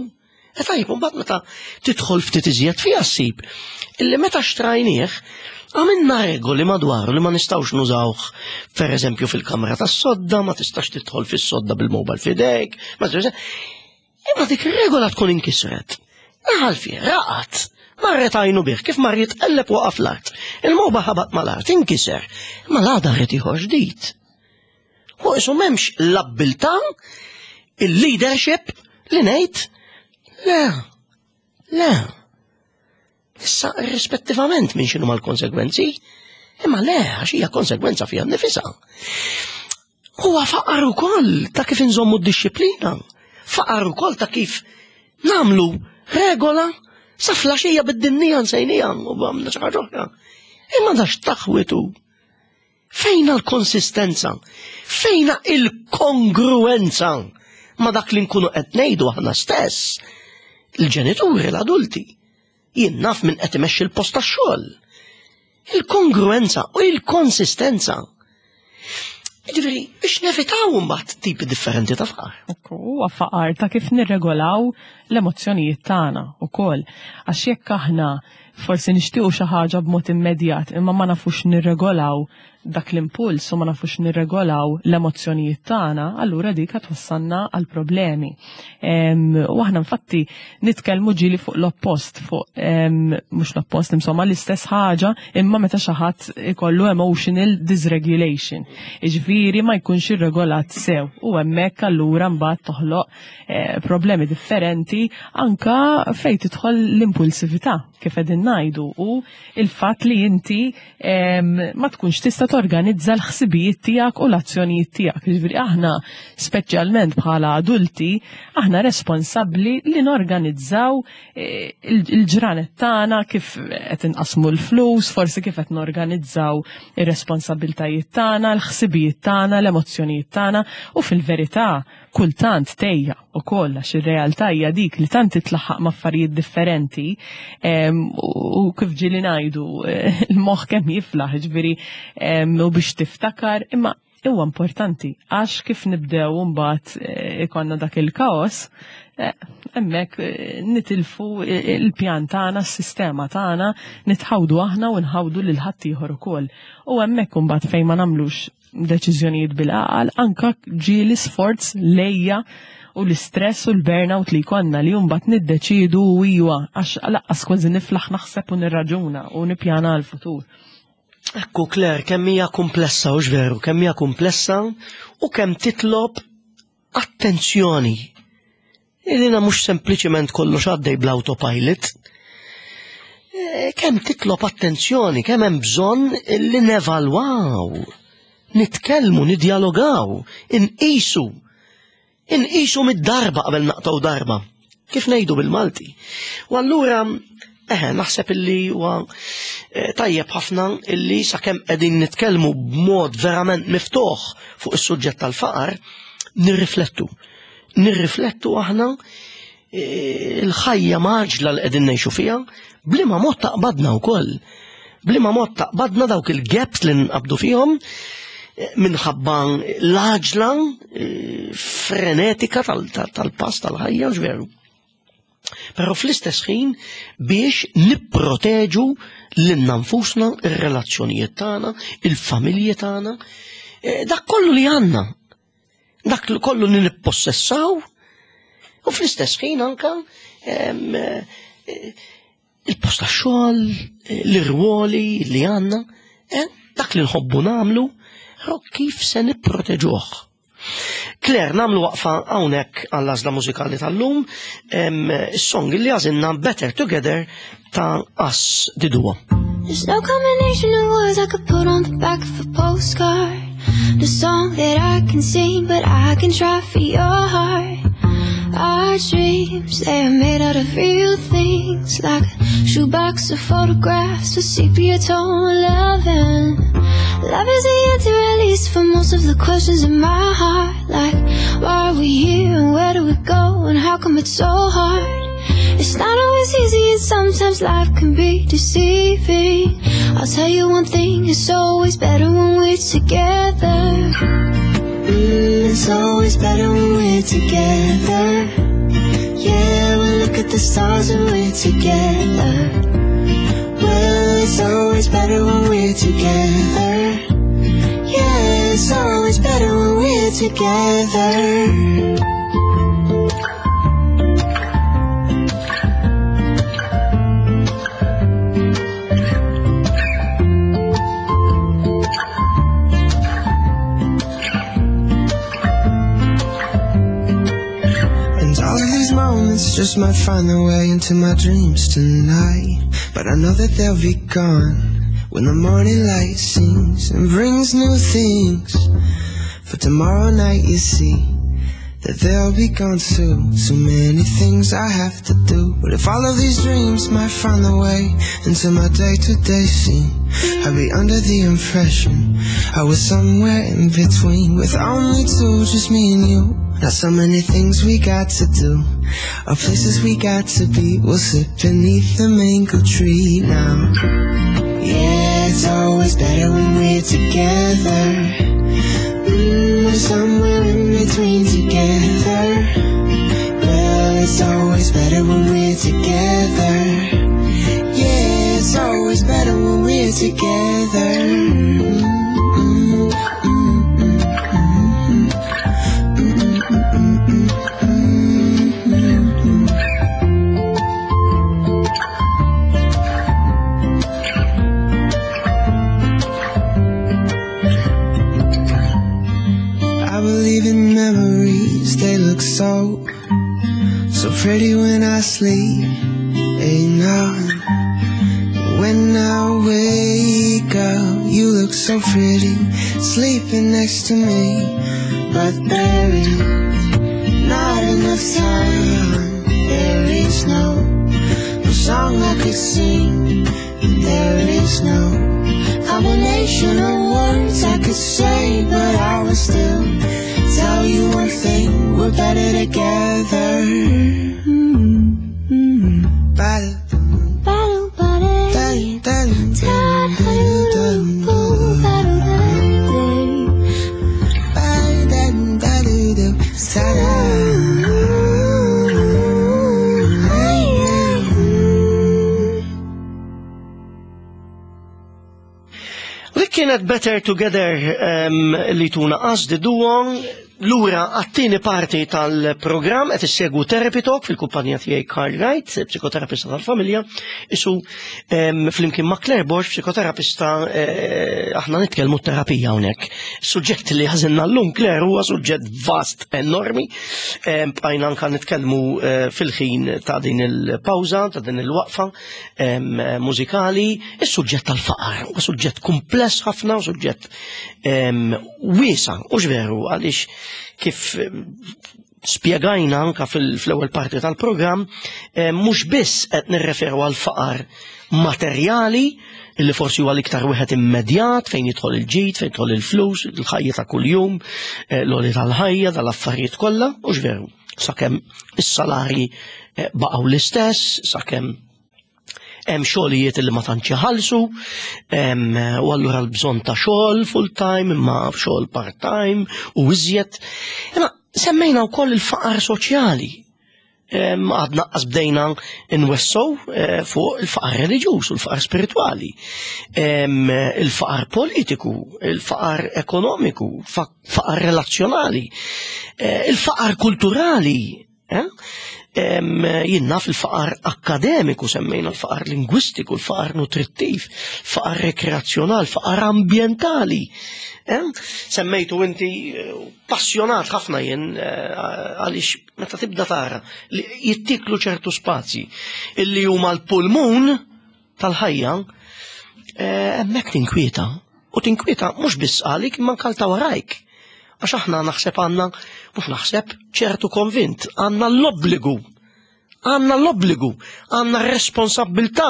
E tajjeb, mbagħad meta tidħol ftit iżjed fiha ssib illi meta xtrajnieh għamilna regoli madwaru li ma nistgħux nużawh, per eżempju, fil-kamra tas-sodda, ma tistax tidħol fis-sodda bil-mobile f'idejk, ma tistax. Imma dik ir-regola tkun inkisret. Daħal fih, raqat, marret għajnu bih, kif mar jitqelleb waqaf l-art. Il-mobile ħabat mal-art, inkiser. Imma l-għada rrid ieħor ġdid. U isu m'hemmx l-abbiltà, il-leadership li ngħid, le, le. Issa, rispettivament minn x'inhu mal-konsegwenzi, imma le, għax hija konsegwenza fiha nnifisha. Huwa faqar ukoll ta' kif inżommu d-dixxiplina. Faqar ukoll ta' kif nagħmlu regola sa filgħaxija bid-dinja nsejnija u għamna xi ħaġa oħra. Imma dax taħwitu. Fejna l-konsistenza? Fejna il-kongruenza ma dak li nkunu qed ngħidu aħna stess? Il-ġenituri, l-adulti. Jien naf min qed imexxi l-post tax-xogħol. Il-kongruenza u il-konsistenza. Ġifieri, biex nevitaw mbagħad tipi differenti ta' faqar. Huwa faqar ta' kif nirregolaw l-emozzjonijiet tagħna ukoll. Għax jekk aħna forsi nixtiequ xi ħaġa b'mod immedjat imma ma nafux nirregolaw dak l-impuls u ma nafux nirregolaw l-emozzjonijiet tagħna, allura dik twassalna għal problemi. U aħna infatti nitkellmu ġieli fuq l-oppost, fuq mhux l-oppost, insomma l-istess ħaġa, imma meta xi ħadd ikollu emotional dysregulation. Jiġifieri ma jkunx irregolat sew u hemmhekk allura mbagħad toħloq eh, problemi differenti anka fejn tidħol l-impulsività, kif qegħdin ngħidu, u il-fatt li inti ma tkunx tista' torganizza l-ħsibijiet tiegħek u l-azzjonijiet tiegħek. Jiġifieri aħna, speċjalment bħala adulti, aħna responsabbli li norganizzaw eh, il-ġranet tagħna, kif qed inqasmu l-flus, forsi kif qed norganizzaw ir-responsabbiltajiet tagħna, l-ħsibijiet tagħna, l-emozzjonijiet tagħna, u fil-verità kultant tgħejja ukoll, għax ir-realtà hija dik li tant titlaħħaq ma' affarijiet differenti u kif ġieli ngħidu, il-moħħ kemm jiflaħ, ġifieri, u biex tiftakar, imma huwa importanti għax kif nibdew mbagħad eh, ikollna dak il-kaos, eh, hemmhekk eh, nitilfu il-pjan tagħna, s-sistema tagħna, nitħawdu aħna u nħawdu lil ħaddieħor ukoll. U hemmhekk imbagħad fejn ma nagħmlux deċiżjonijiet bil-għaqal, anka ġieli sforz l-għeja u l-istress u l-burnout li jkollna li mbagħad niddeċidu u iwa għax lanqas kważi niflaħ naħseb u nirraġuna u nippjana għal-futur. Ekku, Claire, kemm hija komplessa, u veru, kemm hija komplessa u kemm titlob attenzjoni. Ilina mhux sempliċement kollox għaddej bl-autopilot. E, kemm titlob attenzjoni, kemm hemm bżonn li nevalwaw, nitkellmu, nidjalogaw, inqisu. Inqisu mid-darba qabel naqtaw darba. Kif ngħidu bil-Malti. U allura, eħe, naħseb illi huwa eh, tajjeb ħafna illi sakemm qegħdin nitkellmu b'mod verament miftuħ fuq is-suġġett tal-faqar, nirriflettu. Nirriflettu aħna eh, il-ħajja mgħaġġla li qegħdin ngħixu fiha, b'liema mod taqbadna wkoll. B'liema mod taqbadna dawk il-gaps li nqabdu fihom eh, minħabba l-għaġla frenetika tal-pass tal-ħajja, veru. Però fl-istess ħin biex nipproteġu lilna nfusna, ir-relazzjonijiet tagħna, il-familji tagħna, eh, dak kollu li għandna. Dak kollu li nippossessaw u fl-istess ħin anka eh, il-post tax-xogħol, l-irwoli li għandna, eh, dak li nħobbu nagħmlu, kif se nipproteġuh. Claire, nagħmlu waqfa hawnhekk għall-għażla mużikali tal-lum, is-song li għażilna, Better Together ta' Us The Duo. There's no combination of words I could put on the back of a postcard. The song that I can sing, but I can try for your heart. Our dreams, they are made out of real things, like a shoebox of photographs with sepia tone loving. Love is the answer, at least, for most of the questions in my heart. Like, why are we here and where do we go and how come it's so hard? It's not always easy and sometimes life can be deceiving. I'll tell you one thing, it's always better when we're together. Mm, it's always better when we're together. Yeah, we look at the stars when we're together. Well, it's always better when we're together. Yeah, it's always better when we're together. And all of these moments just might find their way into my dreams tonight. But I know that they'll be gone when the morning light sings and brings new things. For tomorrow night you see that they'll be gone too. Too many things I have to do. But if all of these dreams might find their way into my day-to-day scene, I'd be under the impression I was somewhere in between, with only two, just me and you. Not so many things we got to do, or places we got to be. We'll sit beneath the mango tree now. Yeah, it's always better when we're together. Mm, we're somewhere in between together. Well, it's always better when we're together. Yeah, it's always better when we're together. Mm, mm, mm, mm, mm, mm, mm, mm. I believe in memories, they look so, so pretty when I sleep. Ain't now, when I wake up, you look so pretty, sleeping next to me. But there is not enough time. There is no, no song I could sing. There is no combination of words I could say, but I would still tell you one thing: we're better together. Mm-hmm. Better, Battle, battle, better, better, Dik kienet Better Together em, li tuna Us the Duo. Lura għat-tieni parti tal-programm qed issegwu Therapy Talk fil-kumpanija tiegħi Karl Wright, psikoterapista tal-familja, isu em, flimkien ma' Claire Borg, psikoterapista, eh, aħna nitkellmu terapija hawnhekk. Suġġett li għażilna llum Claire huwa suġġett vast enormi. Em, Bqajna anka nitkellmu eh, fil-ħin ta' din il-pawża, ta' din il-waqfa em, mużikali, is-suġġett tal-faqar huwa suġġett kumpless ħafna, u suġġett em, wiesa, u veru, għaliex kif em, spjegajna anka fil- fl-ewwel parti tal-programm, eh, mhux biss qed nirreferu għal faqar materjali, illi forsi huwa l-iktar wieħed immedjat fejn jidħol il-ġid, fejn jidħol il-flus, il-ħajja ta' kuljum, eh, l-għoli tal-ħajja, tal-affarijiet kollha, u veru, sakemm is-salarji eh, baqgħu l-istess, sakemm hemm xogħlijiet li ma tantx iħallsu, hemm, u allura l-bżonn ta' xogħol full time imma xogħol part time u iżjed. Imma semmejna wkoll il-faqar soċjali. Em, Għadna qas bdejna nwessow eh, fuq il-faqar reliġjuż u l-faqar spiritwali, Em, il-faqar politiku, il-faqar ekonomiku, fa- faqar relazzjonali, eh, il-faqar kulturali. eh? Em, Jien naf il-faqar akkademiku, semmejna l-faqar lingwistiku, l-faqar nutrittiv, faqar rekreazzjonal, faqar ambientali. Eh? Semmejtu inti eh, passjonat ħafna jien eh, għaliex meta tibda tara li jittiklu ċertu spazji illi huma l-pulmun tal-ħajja, eh, hemmhekk tinkwieta. U tinkwieta mhux biss għalik imma anke ta' warajk. Għax aħna naħseb għandna, mhux naħseb, ċertu konvint, għandna l-obbligu, għandna l-obbligu, għandna responsabbiltà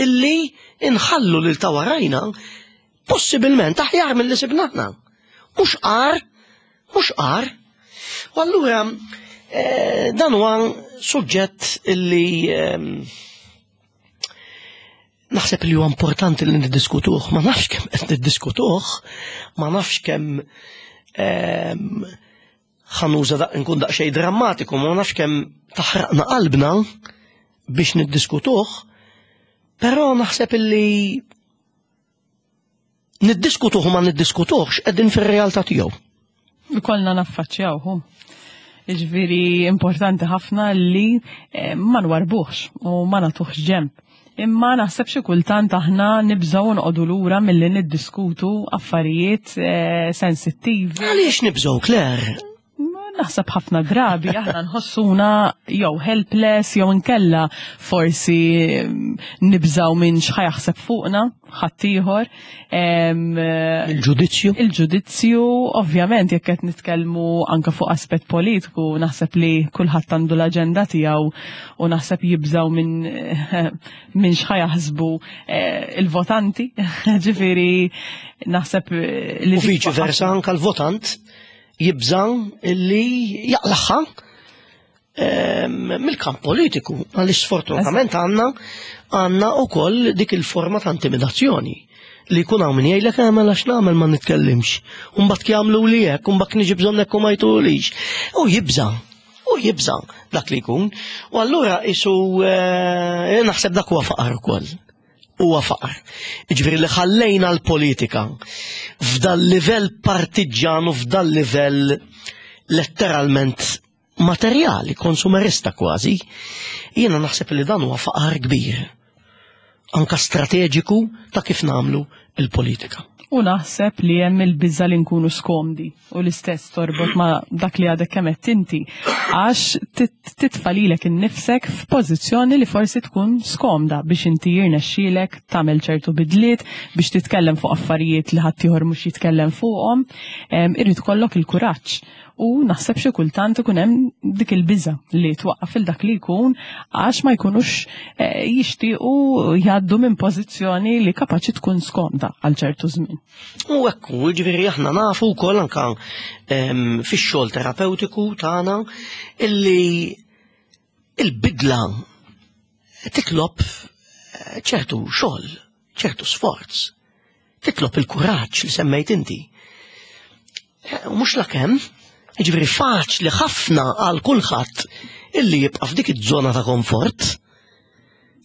illi inħallu lil ta' warajna Possibilment aħjar mill-li sibna aħna. Mhux qar, mhux qar. U allura eh, dan huwa suġġett illi ehm, naħseb li huwa importanti li niddiskutuh, ma nafx kemm qed niddiskutuh, ma nafx kemm ehm, ħa nuża daq nkun daqsxejn drammatiku, ma nafx kemm taħraqna qalbna biex niddiskutuh, però naħseb illi niddiskutuh u ma niddiskutuhx qegħdin fir-realtà tiegħu. Ikollna naffaċċjawhu. Ġifieri importanti ħafna li eh, ma nwarbuħx u ma nagħtuhx ġemb. Imma naħseb xi kultant aħna nibżgħu noqogħdu lura milli niddiskutu affarijiet eh, sensittivi. Għaliex nibżgħu, Claire? Ma naħseb ħafna drabi aħna nħossuna jew helpless jew inkella forsi mm, nibżgħu minn x'ħa jaħseb fuqna ħaddieħor. Em, Il-ġudizzju? Il-ġudizzju, ovvjament, jekk qed nitkellmu anke fuq aspett politiku, naħseb li kulħadd għandu l-aġenda tiegħu u naħseb jibżaw minn minn x'ħa jaħsbu eh, il-votanti. Ġifieri naħseb eh, li U viċi versa anka l-votant jibża' illi jaqlagħha ehm, mill-kamp politiku. Għaliex sfortunatament għandna għandna wkoll dik il-forma ta' intimidazzjoni li jkun hawn min jgħidlek "Eh, mela x'nagħmel ma nitkellimx. U mbagħad jagħmlu li hekk, u mbagħad niġi bżonn hekk u ma jtulix. U jibża' u jibża' dak li jkun. U allura isu eh, naħseb dak huwa faqar ukoll. Huwa faqar. Ġifieri li ħallejna l-politika f'dal livell partiġan u f'dal livell letteralment materjali, konsumerista kważi, jiena naħseb li dan huwa faqar kbir. Anka strateġiku ta' kif nagħmlu il-politika. U naħseb li hemm il-biża li nkunu skomdi u l-istess torbot ma dak li għadek kemm qed inti għax tit- titfa' lilek innifsek f'pożizzjoni li forsi tkun skomda biex inti jirnexxielek tagħmel ċertu bidliet biex titkellem fuq affarijiet li ħaddieħor mhux jitkellem fuqhom, em, irid ikollok il-kuraġġ. U naħseb xi kultant ikun hemm dik il-biża li twaqqaf il dak li jkun għax ma jkunux eh, jixtiequ jgħaddu minn pożizzjoni li kapaċi tkun skomda għal ċertu żmien. U ekku, ġifieri aħna nafu wkoll anka em, fix-xogħol terapeutiku tagħna illi il-bidla titlob eh, ċertu xogħol, ċertu sforz, titlob il-kuraġġ li semmejt inti. Eh, U mhux lakemm, ġifieri faċli ħafna għal kulħadd illi jibqa' f'dik iż-żona ta' komfort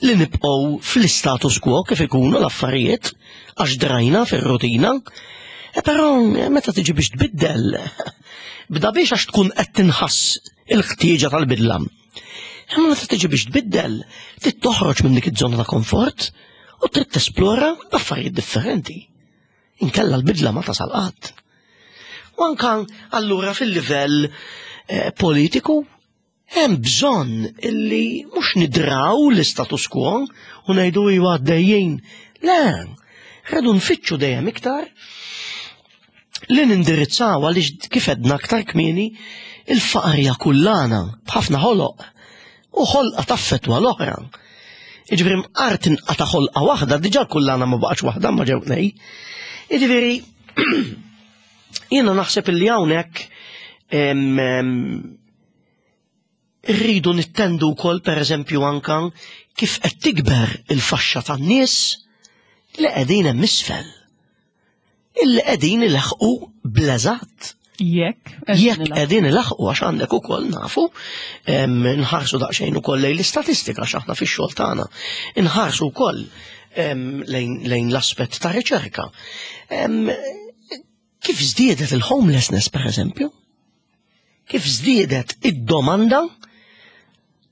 li nibqgħu fl-status quo kif ikunu l-affarijiet għax drajna fir-rutina. E però eh, meta tiġi biex tbiddel, bda biex għax tkun qed tinħass il-ħtieġa tal-bidla. Imma meta tiġi biex tbiddel, trid toħroġ minn dik iż-żona ta' komfort u trid tesplora affarijiet differenti. Inkella l-bidla ma tasal qatt. U anka allura fil-livell eh, politiku hemm bżonn illi mhux nidraw l-status quo u ngħidu iwa għaddejjin. Le, rridu nfittxu dejjem iktar li nindirizzaw għaliex kif għedna aktar kmieni il-faqar hija kullana b'ħafna ħoloq u ħolqa taffetwa l-oħra. Iġifieri mqar tinqata' ħolqa waħda, diġà kullana ma baqgħetx waħda ma ġew tnej. Iġifieri jiena naħseb illi hawnhekk em, em, rridu nittendu wkoll pereżempju anka kif qed tikber il-faxxa tan-nies li qegħdin hemm isfel. Illi qegħdin ilaħqu bl-eżatt. Jekk Jekk qegħdin ilaħqu għax għandek ukoll nafu, em, nħarsu daqsxejn ukoll lejn l-istatistika għax aħna fix-xogħol tagħna. Inħarsu wkoll em, lejn, lejn l-aspett ta' riċerka. Em, Kif żdiedet il-homelessness per eżempju? Kif żdiedet id-domanda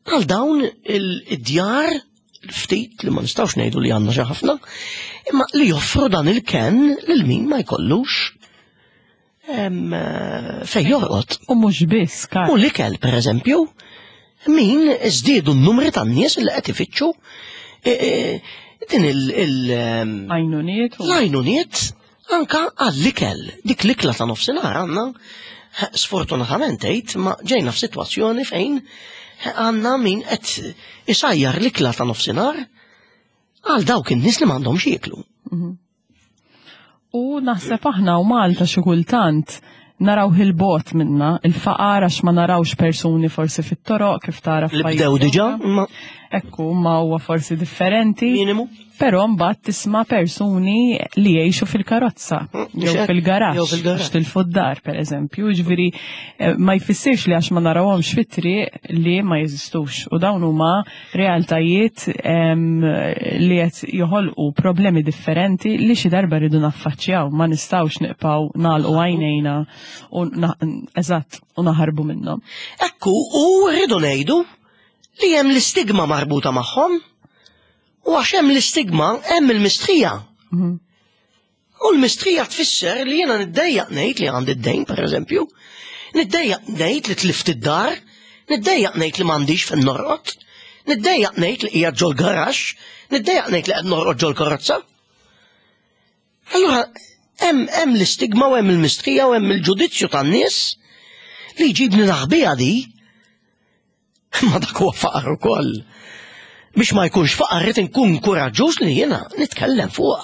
għal dawn il-djar ftit li ma nistgħux ngħidu li għandna xi ħafna, imma li joffru dan il-ken lil min ma jkollux em, eh, fej jorqod. U mhux biss, Karl. U l-ikel, per eżempju, min żdiedu n-numri tan-nies li qed ifittxu eh, eh, din il- il- em, Għajnuniet u l-għajnuniet anka għall-ikel. Dik l-ikla ta' nofsinhar għandna sfortunatament għedt ma ġejna f'sitwazzjoni fejn għandna min qed isajjar l-ikla ta' nofsinhar għal dawk in-nies li m'għandhomx jieklu. Mhm. U naħseb aħna u Malta xi kultant naraw il-bogħod minna, il-faqar, għax ma narawx persuni forsi fit-toroq kif tara Li bdew diġà, ma Ekku, ma huwa forsi differenti. Minimu. Però mbagħad tisma' persuni li jgħixu fil-karozza Mm, jew fil-garaxx, jew fil-garaxx. għax tilfu d-dar, pereżempju. Ġifieri eh, ma jfissirx li għax ma narawhomx fit-triq li ma jeżistux. U dawn huma realtajiet em, li qed joħolqu problemi differenti li xi darba rridu naffaċċjaw, ma nistgħux nibqgħu nagħlqu għajnejna u na- eżatt u naħarbu minnhom. Ekku, u rridu ngħidu li hemm l-istigma marbuta magħhom. U għax hemm l-istigma, hemm il-mistħija. Mhm. U l-mistħija tfisser li jiena niddejjaq ngħid li għandi d-dejn, pereżempju. Niddejjaq ngħid li tlift id-dar, niddejjaq ngħid li m'għandix fejn norqod, niddejjaq ngħid li qiegħed ġol garaxx, niddejjaq ngħid li qed norqod ġol karozza. Allura hemm hemm l-istigma u hemm il-mistħija u hemm il-ġudizzju tan-nies li jġibni naħbiha di. Ma dak huwa faqar ukoll. Biex ma jkunx faqar, rrid inkun kuraġġuż li jiena nitkellem fuqha.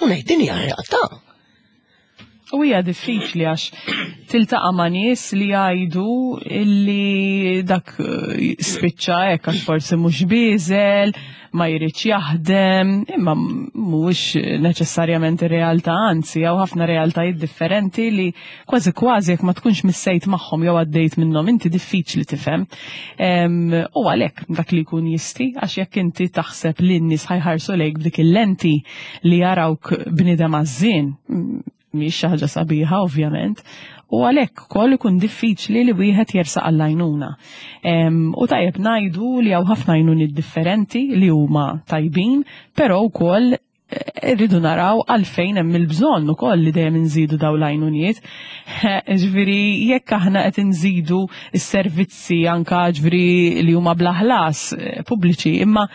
U ngħid din hija realtà. U hija diffiċli għax tiltaqa' ma' nies li jgħidu illi dak eh, spiċċa hekk għax forsi mhux bieżel, ma jridx jaħdem, imma mhuwiex neċessarjament ir-realtà, anzi hawn ħafna realtajiet differenti li kważi kważi jekk ma tkunx missejt magħhom jew għaddejt minnhom, inti diffiċli tifhem. Em, U għalhekk dak li jkun jisti, għax jekk inti taħseb li n-nies ħa jħarsu lejk b'dik il-lenti li jarawk bniedem għażżien, mhix xi ħaġa sabiħa, ovvjament, u għalhekk ukoll ikun diffiċli li wieħed jersaq għall-għajnuna. Em, U tajjeb ngħidu li hawn ħafna għajnuniet differenti li huma tajbin, però wkoll eh, irridu naraw għalfejn hemm il-bżonn ukoll li dejjem inżidu daw l-għajnuniet. Ġifieri jekk aħna qed inżidu s-servizzi anka, ġifieri, li huma bla ħlas eh, pubbliċi, imma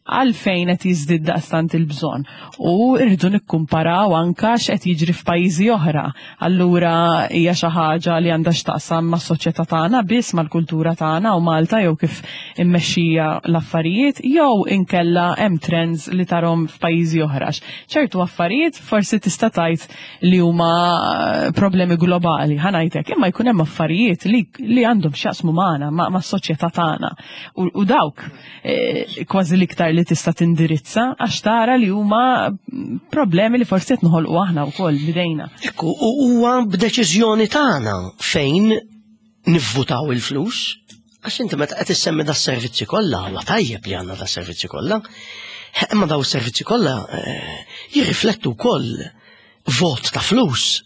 għalfejn qed jiżdied daqstant il-bżonn? U rridu nikkumparaw anka x'qed jiġri f'pajjiżi oħra. Allura hija xi ħaġa li għandha x'taqsam mas-soċjetà tagħna biss, mal-kultura tagħna u Malta jew kif immexxija l-affarijiet, jew inkella hemm trends li tarahom f'pajjiżi oħra? Ċertu affarijiet forsi tista' tgħid li huma problemi globali, ħa ngħidlek, imma jkun hemm affarijiet li, li għandhom x'jaqsmu magħna, ma' mas-soċjetà tagħna. U, u dawk eh, kważi l-iktar li tista' tindirizza għax tara li huma problemi li forsi qed noħolqu aħna wkoll bidejna. Ekku, u huwa b'deċiżjoni tagħna fejn nivvutaw il-flus. Għax inti meta qed issemmi da servizzi kollha, huwa tajjeb li għandna da servizzi kollha. Imma daw is-servizzi kollha eh, jirriflettu wkoll vot ta' flus.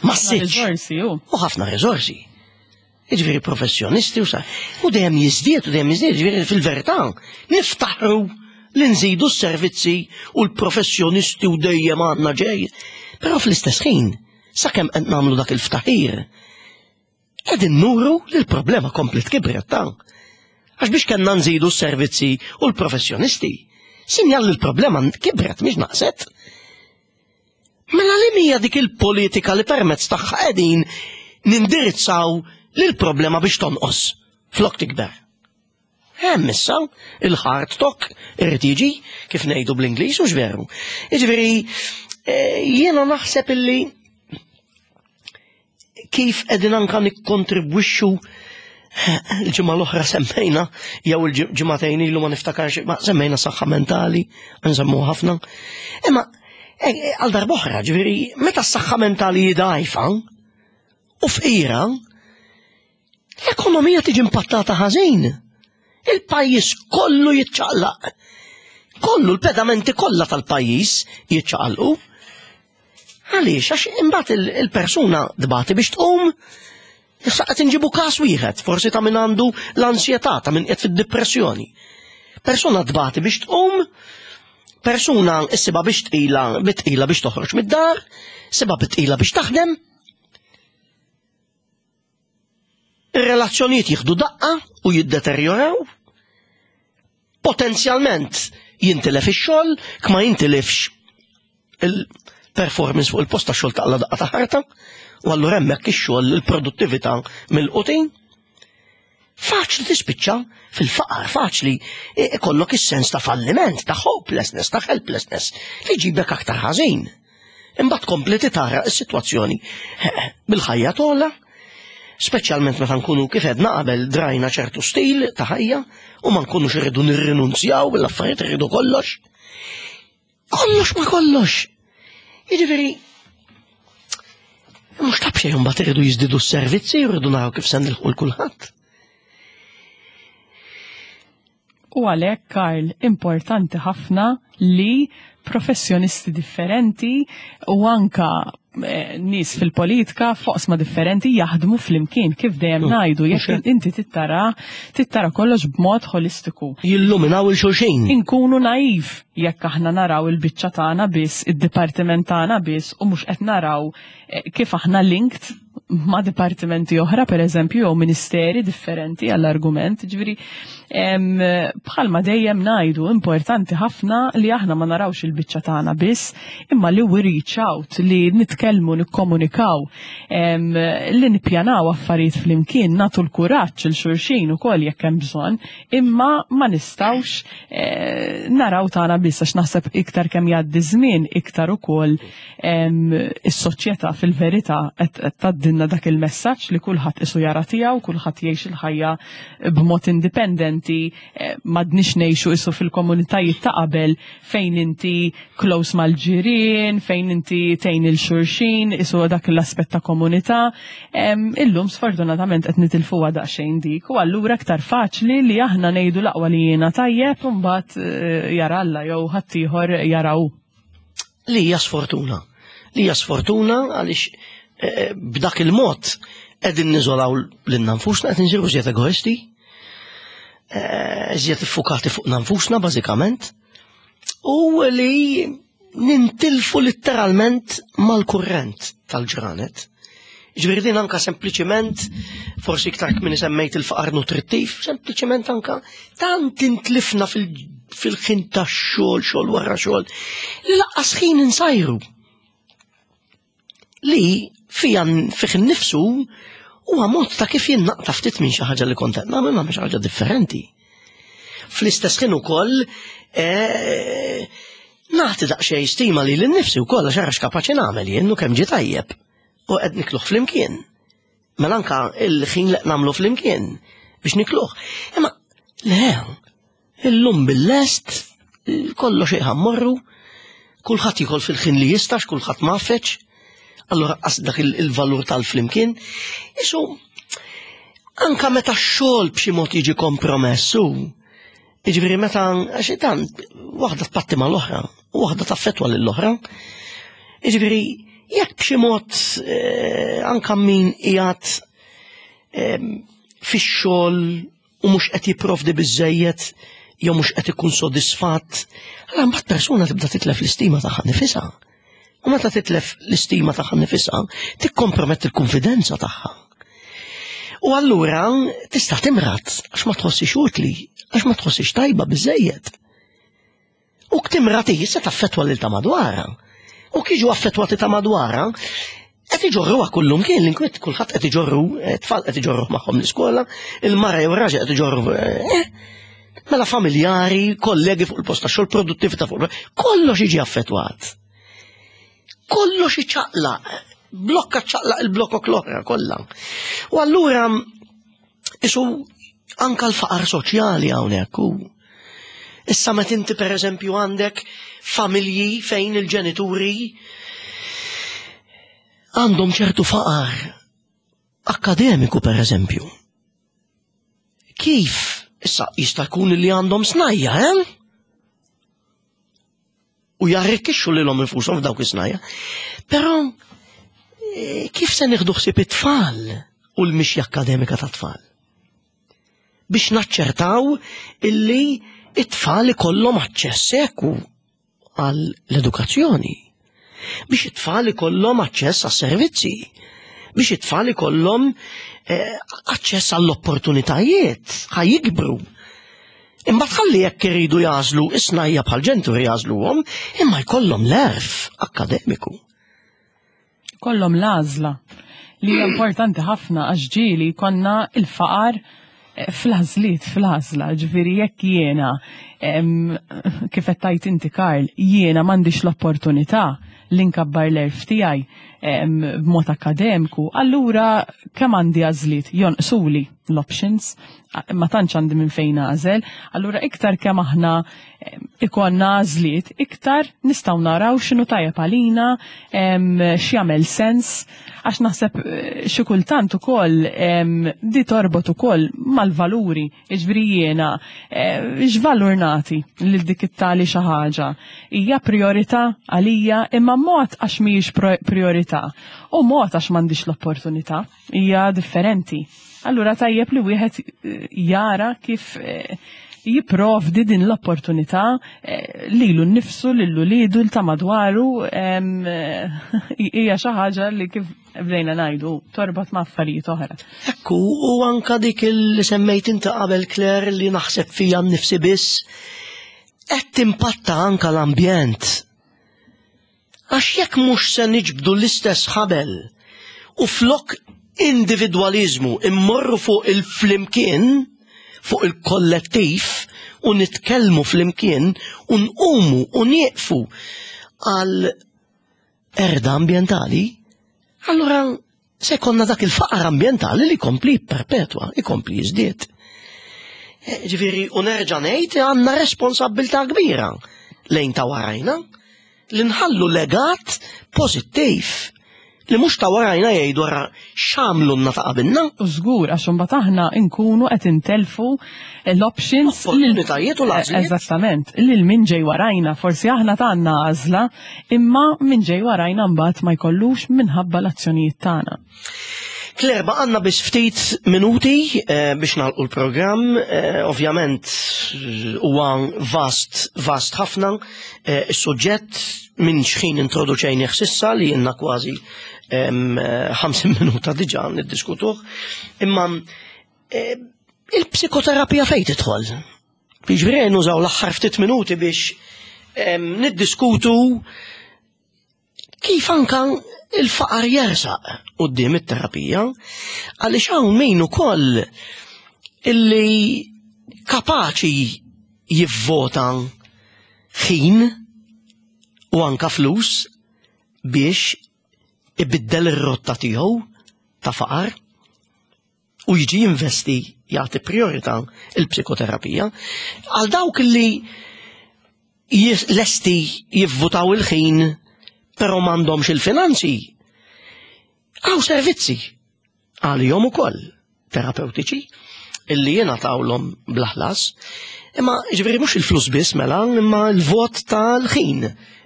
Massiċ. Riżorsi, u. U ħafna riżorsi. Jiġifieri professjonisti u sa. U dejjem jiżdied u dejjem jiżdied, jiġifieri fil-verità niftaħru li nżidu s-servizzi u l-professjonisti u dejjem għandna ġej. Però fl-istess ħin, sakemm qed nagħmlu dak il-ftaħir, qegħdin nuru li l-problema komplet kibret ta'. Għax biex kellna nżidu s-servizzi u l-professjonisti, sinjal li l-problema kibret, mhix naqset. Mela li mija dik il-politika li permezz tagħha qegħdin nindirizzaw lil problema biex tonqos flok tikber? Hemm issa il-hard talk irid jiġi, kif ngħidu bl-Ingliż, u veru. Jiġifieri eh, jiena naħseb illi kif qegħdin anka nikkontribwixxu, il-ġimgħa l-oħra semmejna, jew il-ġimgħatejn ilu, ma niftakarx, ma semmejna saħħa mentali, nsemmu ħafna. Imma eh, għal darb'oħra, ġifieri, meta s-saħħa mentali dgħajfa u fqira, l-ekonomija tiġi impattata ħażin. Il-pajjiż kollu jitċaqlaq. Kollu, l-pedamenti kollha tal-pajjiż jitċaqalqu. Għaliex? Għax imbagħad il-persuna tbati biex tqum. Issa qed inġibu każ wieħed, forsi ta' min għandu l-ansjetà, ta' min qed fid-depressjoni. Persuna tbati biex tqum, persuna issibha biex tqila, bitqila biex toħroġ mid-dar, issibha bitqila biex taħdem. Ir-relazzjonijiet jieħdu daqqa u jiddeterjoraw. Potenzjalment jintilef ix-xogħol, kma jintilefx il-performance fuq il-post ta' xogħol, taqla daqqa ta' ħarta, u allura hemmhekk ix-xogħol, il-produttività mill-qutin. Faċli tispiċċa fil-faqar, faċli ikollok is-sens ta' falliment, ta' hopelessness, ta' helplessness, li jġibek aktar ħażin. Imbagħad kompli tara s-sitwazzjoni bil-ħajja tola, speċjalment meta nkunu kif edna qabel drajna ċertu stil ta' ħajja u ma nkunux irridu nirrinunzjaw bil-affarijiet, irridu kollox. Kollox ma kollox. Jiġifieri mhux ta' b'xejn imbagħad irridu jiżdiedu s-servizzi, irridu naraw kif se nilħqu l kulħadd. U għalhekk, Karl, importanti ħafna li professjonisti differenti u anka eh, nies fil-politika f'oqsma differenti jaħdmu flimkien, kif dejjem Mm, ngħidu, jekk mhux hekk. inti tittara tittara kollox b'mod holistiku. Jilluminaw il-xulxin. Inkunu naiv jekk aħna naraw il-biċċa tagħna biss, id-dipartiment tagħna biss u mhux qed naraw eh, kif aħna linked ma' dipartimenti oħra, per eżempju, jew ministeri differenti għall-argument. Ġifieri, em, bħalma dejjem ngħidu, importanti ħafna li aħna ma narawx il-biċċa tagħna biss, imma li we reach out, li nitkellmu, nikkomunikaw, em, li nippjanaw affarijiet flimkien, nagħtu l-kuraġġ il xulxin ukoll jekk hemm bżonn, imma ma nistgħux eh, naraw tagħna biss, għax naħseb iktar kemm jgħaddi żmien, iktar ukoll em, is-soċjetà fil-verità qed qed tgħaddilna dak il-messaġġ li kulħadd isu jara tiegħu, kulħadd jgħix il-ħajja b'mod indipendenti, eh, m'għadniex ngħixu isu fil-komunitajiet ta' qabel fejn inti close mal-ġirien, fejn inti tgħin il xulxin, isu dak l-aspett ta' komunità. Em, Illum sfortunatament qed nitilfuha daqsxejn dik, u allura aktar faċli li aħna ngħidu l-aqwa li jiena tajjeb u mbagħad eh, jara Alla jew ħaddieħor jaraw. Li hija sfortuna. Li hija sfortuna għaliex eh, b'dak il-mod qegħdin niżolaw lilna nfusna, qed insiru żjed egoisti, eh, żjed iffukati fuq nfusna bażikament, u li nintilfu letteralment mal-kurrent tal-ġranet. Ġifieri din anka sempliċiment, forsi iktar kmieni semmejt il-faqar nutrittiv, sempliċiment anka tant intlifna fil- fil-ħin tax-xogħol, xogħol wara xogħol, li lanqas ħin insajru. Li fija fih innifsu huwa mod ta' kif jien naqta' ftit minn xi ħaġa li kont qed nagħmel ma' xi ħaġa differenti. Fl-istess ħin ukoll eh, nagħti daqsxejn stima li lil-nifsi wkoll għax ara x'kapaċi nagħmel jien u kemm ġie tajjeb. U qed nikluh flimkien. Mela anka il-ħin li nagħmlu flimkien biex nikluh. Imma le, illum bil-lest, kollox iħammorru, kulħadd jikol fil-ħin li jistax, kulħadd mafeċ, allora qas dak il- il-valur tal-flimkien. Isu, anka meta x-xogħol b'xi mod jiġi kompromessu, jiġifieri meta għax tant waħda tpatti mal-oħra, u waħda taffetwa lill-oħra. Jiġifieri jekk b'xi mod eh, anka min qiegħed eh, fix-xogħol u mhux qed jipprovdi biżejjed jew mhux qed ikun sodisfatt, allura mbagħad persuna tibda titlef l-istima tagħha nifisha. U meta titlef l-istima tagħha nifisha, tikkomprometti l-konfidenza tagħha. U allura tista' timrad għax ma tħossix utli, għax ma tħossix tajba biżejjed. U timrad hi se taffettwa lil ta' madwarha. U kiġu affettwati ta' madwarha, qed iġorruha kullum kien l-inkwiet, kulħadd qed iġorru, eh, tfal qed iġorru magħhom l-iskola, il-mara jew raġel qed iġorru eh, mela familjari, kollegi fuq il-post tax-xogħol, produttività fuq il kollox jiġi affettwat. Kollox iċaqlaq, blokka ċaqlaq il-blokok l-oħra kollha. U allura isu anka l-faqar soċjali hawnhekk u issa meta inti pereżempju għandek familji fejn il-ġenituri għandhom ċertu faqar akademiku pereżempju. Kif issa jista' jkun li għandhom snajja, eh? U jarrikkixxu lilhom infushom f'dawk is-snajja. Però eh, kif se nieħdu ħsieb it-tfal u l-mixja akademika tat-tfal? Biex naċċertaw illi it-tfal ikollhom aċċess eku għall-edukazzjoni. Biex it-tfal ikollhom aċċess għas-servizzi. Biex it-tfal ikollhom eh, aċċess għall-opportunitajiet, ħa jikbru. Imma tħalli jekk iridu jagħżlu is-snajja bħal ġenituri jagħżluhom, imma jkollhom l-għerf akkademiku. Kollhom l-għażla li hija importanti ħafna, għax ġieli konna il-faqar eh, fl-għażliet, fl-għażla, ġifieri jekk jiena Em, kif qed tgħid inti, Karl, jiena m'għandix l-opportunità li nkabbar l-għerf tiegħi em, b'mod akademiku, allura kemm għandi għażliet jonqsuli l-options, ma tantx għandi minn fejn nagħżel, allura iktar kemm aħna em, ikollna għażliet, iktar nistgħu naraw x'inhu tajjeb għalina, em, x'jagħmel sens, għax naħseb eh, xi kultant ukoll em, di torbot ukoll mal-valuri, jiġifieri jiena eh, x'valur nagħti lil dik it-tali xi ħaġa. Hija priorità għalija, imma mod għax mhijiex pro- priorità u mod għax m'għandix l-opportunità, hija differenti. Allura tajjeb li wieħed eh, jara kif eh, jipprovdi din l-opportunità eh, lilu nnifsu, lil uliedu, l ta' madwaru, em, eh, hija xi ħaġa li, kif bdejna ngħidu, torbot ma' affarijiet oħra. Ekku, u anka dik li semmejt inti qabel, Claire, li naħseb fija nnifsi biss, qed timpatta anka l-ambjent. Għax jekk mhux se niġbdu l-istess ħabel u flok individualizmu immorru fuq il-flimkien, fuq il-kollettiv, u nitkellmu flimkien u nqumu u nieqfu għal qerda ambjentali, allura se jkollna dak il-faqar ambjentali li jkompli perpetwa, ikompli jiżdied. Eh, Ġifieri, u nerġa' ngħid, għandna responsabbiltà kbira lejn ta' warajna li nħallu legat pożittiv li mhux ta' warajna jgħidu, "Ara x'għamlu ta' qabilna." U żgur, għax imbagħad aħna nkunu qed intelfu l-options lil- Opportunitajiet u l-għażliet. Eżattament, lil min ġej warajna, forsi aħna għandna għażla, imma min ġej warajna mbagħad ma jkollux minħabba l-azzjonijiet tagħna. Claire, għandna biss ftit minuti eh, biex nagħlqu l-programm, eh, ovvjament eh, huwa vast, vast ħafna, eh, is-suġġett minn xħin introduċejnih s'issa li jenna kważi em, eh, ħamsin minuta diġà niddiskutuh, imma eh, il-psikoterapija fejn tidħol? Jiġifieri nużaw l-aħħar ftit minuti biex em, niddiskutu kif anka il-faqar jersaq quddiem it-terapija, għaliex hawn min ukoll illi kapaċi jivvota ħin u anka flus biex ibiddel ir-rotta tiegħu ta' faqar u jiġi jinvesti, jagħti priorità il-psikoterapija. Għal dawk li jis- lesti jivvotaw il-ħin però m'għandhomx il-finanzi, hawn servizzi għalihom ukoll terapeutiċi illi jingħatawlhom bla ħlas. Imma ġifieri mhux il-flus biss mela, imma il-vot tal-ħin,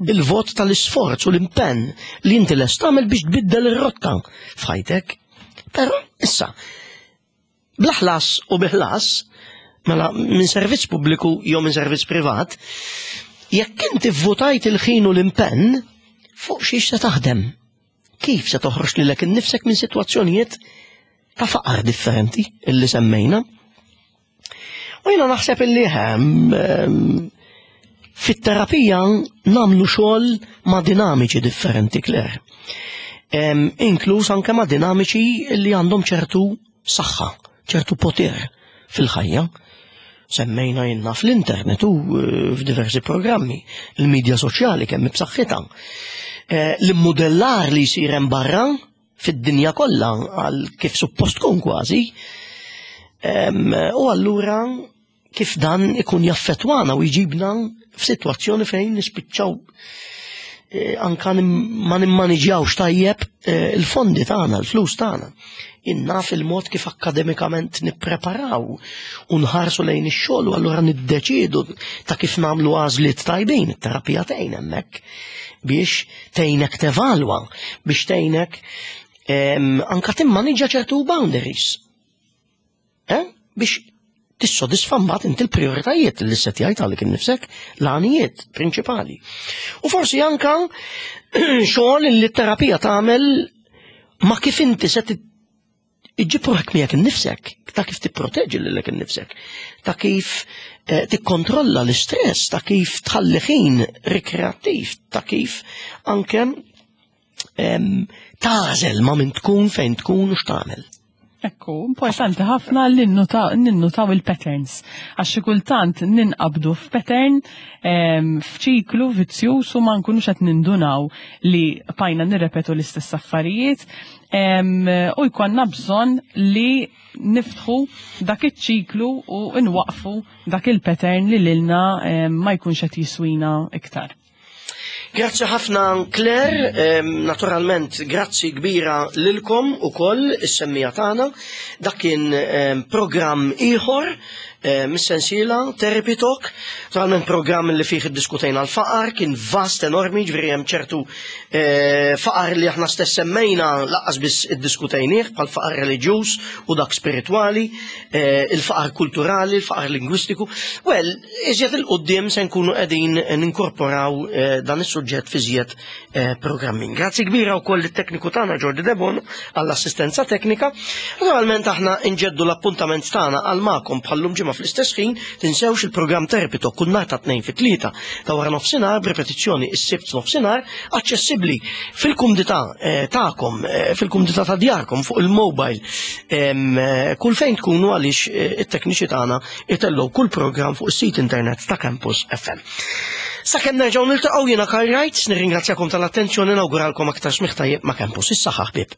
il-vot tal-isforz u l-impenn li inti lest tagħmel biex tbiddel ir-rotta f'ħajtek. Però issa, bla ħlas u bi ħlas, mela minn servizz pubbliku jew minn servizz privat, jekk inti votajt il-ħin u l-impenn, fuq xiex se taħdem? Kif se toħroġ lilek innifsek minn sitwazzjonijiet ta' faqar differenti illi semmejna? U jiena naħseb illi hemm ehm, fit-terapija nagħmlu xogħol ma' dinamiċi differenti, Claire. Em, Inkluż anke ma' dinamiċi li għandhom ċertu saħħa, ċertu poter fil-ħajja. Semmejna jenna fl-internet u eh, f'diversi programmi, il-medja soċjali kemm b'saħħitha. Eh, L-immodellar li jsir hemm barra fid-dinja kollha għal kif suppost tkun kważi. Em, U allura kif dan ikun jaffetwana u jġibna f'sitwazzjoni fejn nispiċċaw eh, anka nim- ma nimmaniġjawx tajjeb eh, il-fondi tagħna, il-flus tagħna. Inna fil-mod kif akademikament nippreparaw u nħarsu lejn ix-xogħol u allura niddeċiedu ta' kif nagħmlu għażliet tajbin, it-terapija tgħin hemmhekk biex tgħinek tevalwa, biex tgħinek em, anka timmaniġġa ċertu boundaries. Eh? Biex tissodisfa mbagħad inti l-prioritajiet li settjajt għalik innifsek, l-għanijiet prinċipali. U forsi anka xogħol li t-terapija tagħmel ma' kif inti se iġġib ruħek miegħek innifsek, ta' kif tipproteġi lilek innifsek, ta' kif eh, tikkontrolla l-istress, ta' kif tħalli ħin rikreattiv, ta' kif anke em, tagħżel ma' min tkun, fejn tkun u x'tagħmel. Ekku, importanti ħafna li ninnutaw il-patterns. Għax xi kultant ninqabdu f'pattern, f'ċiklu vizzjuż, u ma nkunux qed nindunaw li bqajna nirrepetu l-istess affarijiet u jkollna bżonn li niftħu dak iċ-ċiklu u nwaqfu dak il-pattern li lilna ma jkunx qed jiswina iktar. Grazzi ħafna, Claire, naturalment grazzi kbira lilkom ukoll is-semmiegħa tagħna. Dak kien programm ieħor mis-sensiela Therapy Talk, naturalment programm li fih iddiskutejna l-faqar, kien vast enormi, ġifieri hemm ċertu eh, faqar li aħna stess semmejna lanqas biss iddiskutejnieh, bħal faqar reliġjuż u dak spiritwali, eh, il-faqar kulturali, il-faqar lingwistiku. Well, iżjed 'il quddiem se nkunu qegħdin ninkorporaw eh, dan is-suġġett fi żjed programming. Grazzi kbira wkoll it-tekniku tagħna Jordi Debon għall-assistenza teknika. Naturalment aħna nġeddu l-appuntament tagħna għal magħkom bħal-lum ġimgħa fl-istess ħin. Tinsewx il-programm Therapy Talk kull nhar ta' Tnejn fit-tlieta ta' wara nofsinhar, b'repetizzjoni is-Sibt nofsinhar, aċċessibbli fil-kumdità eh, tagħkom, eh, fil-kumdità ta' djarkom, fuq il-mobile, eh, kull fejn tkunu, għaliex it-tekniċi tagħna itellgħu kull programm fuq is-sit internet ta' Campus F M. Sakemm nerġgħu niltaqgħu, jiena Karl Wright, nirringrazzjakom tal-attenzjoni, nawguralkom aktar smigħ tajjeb ma' Campus. Is-saħħa, ħbieb.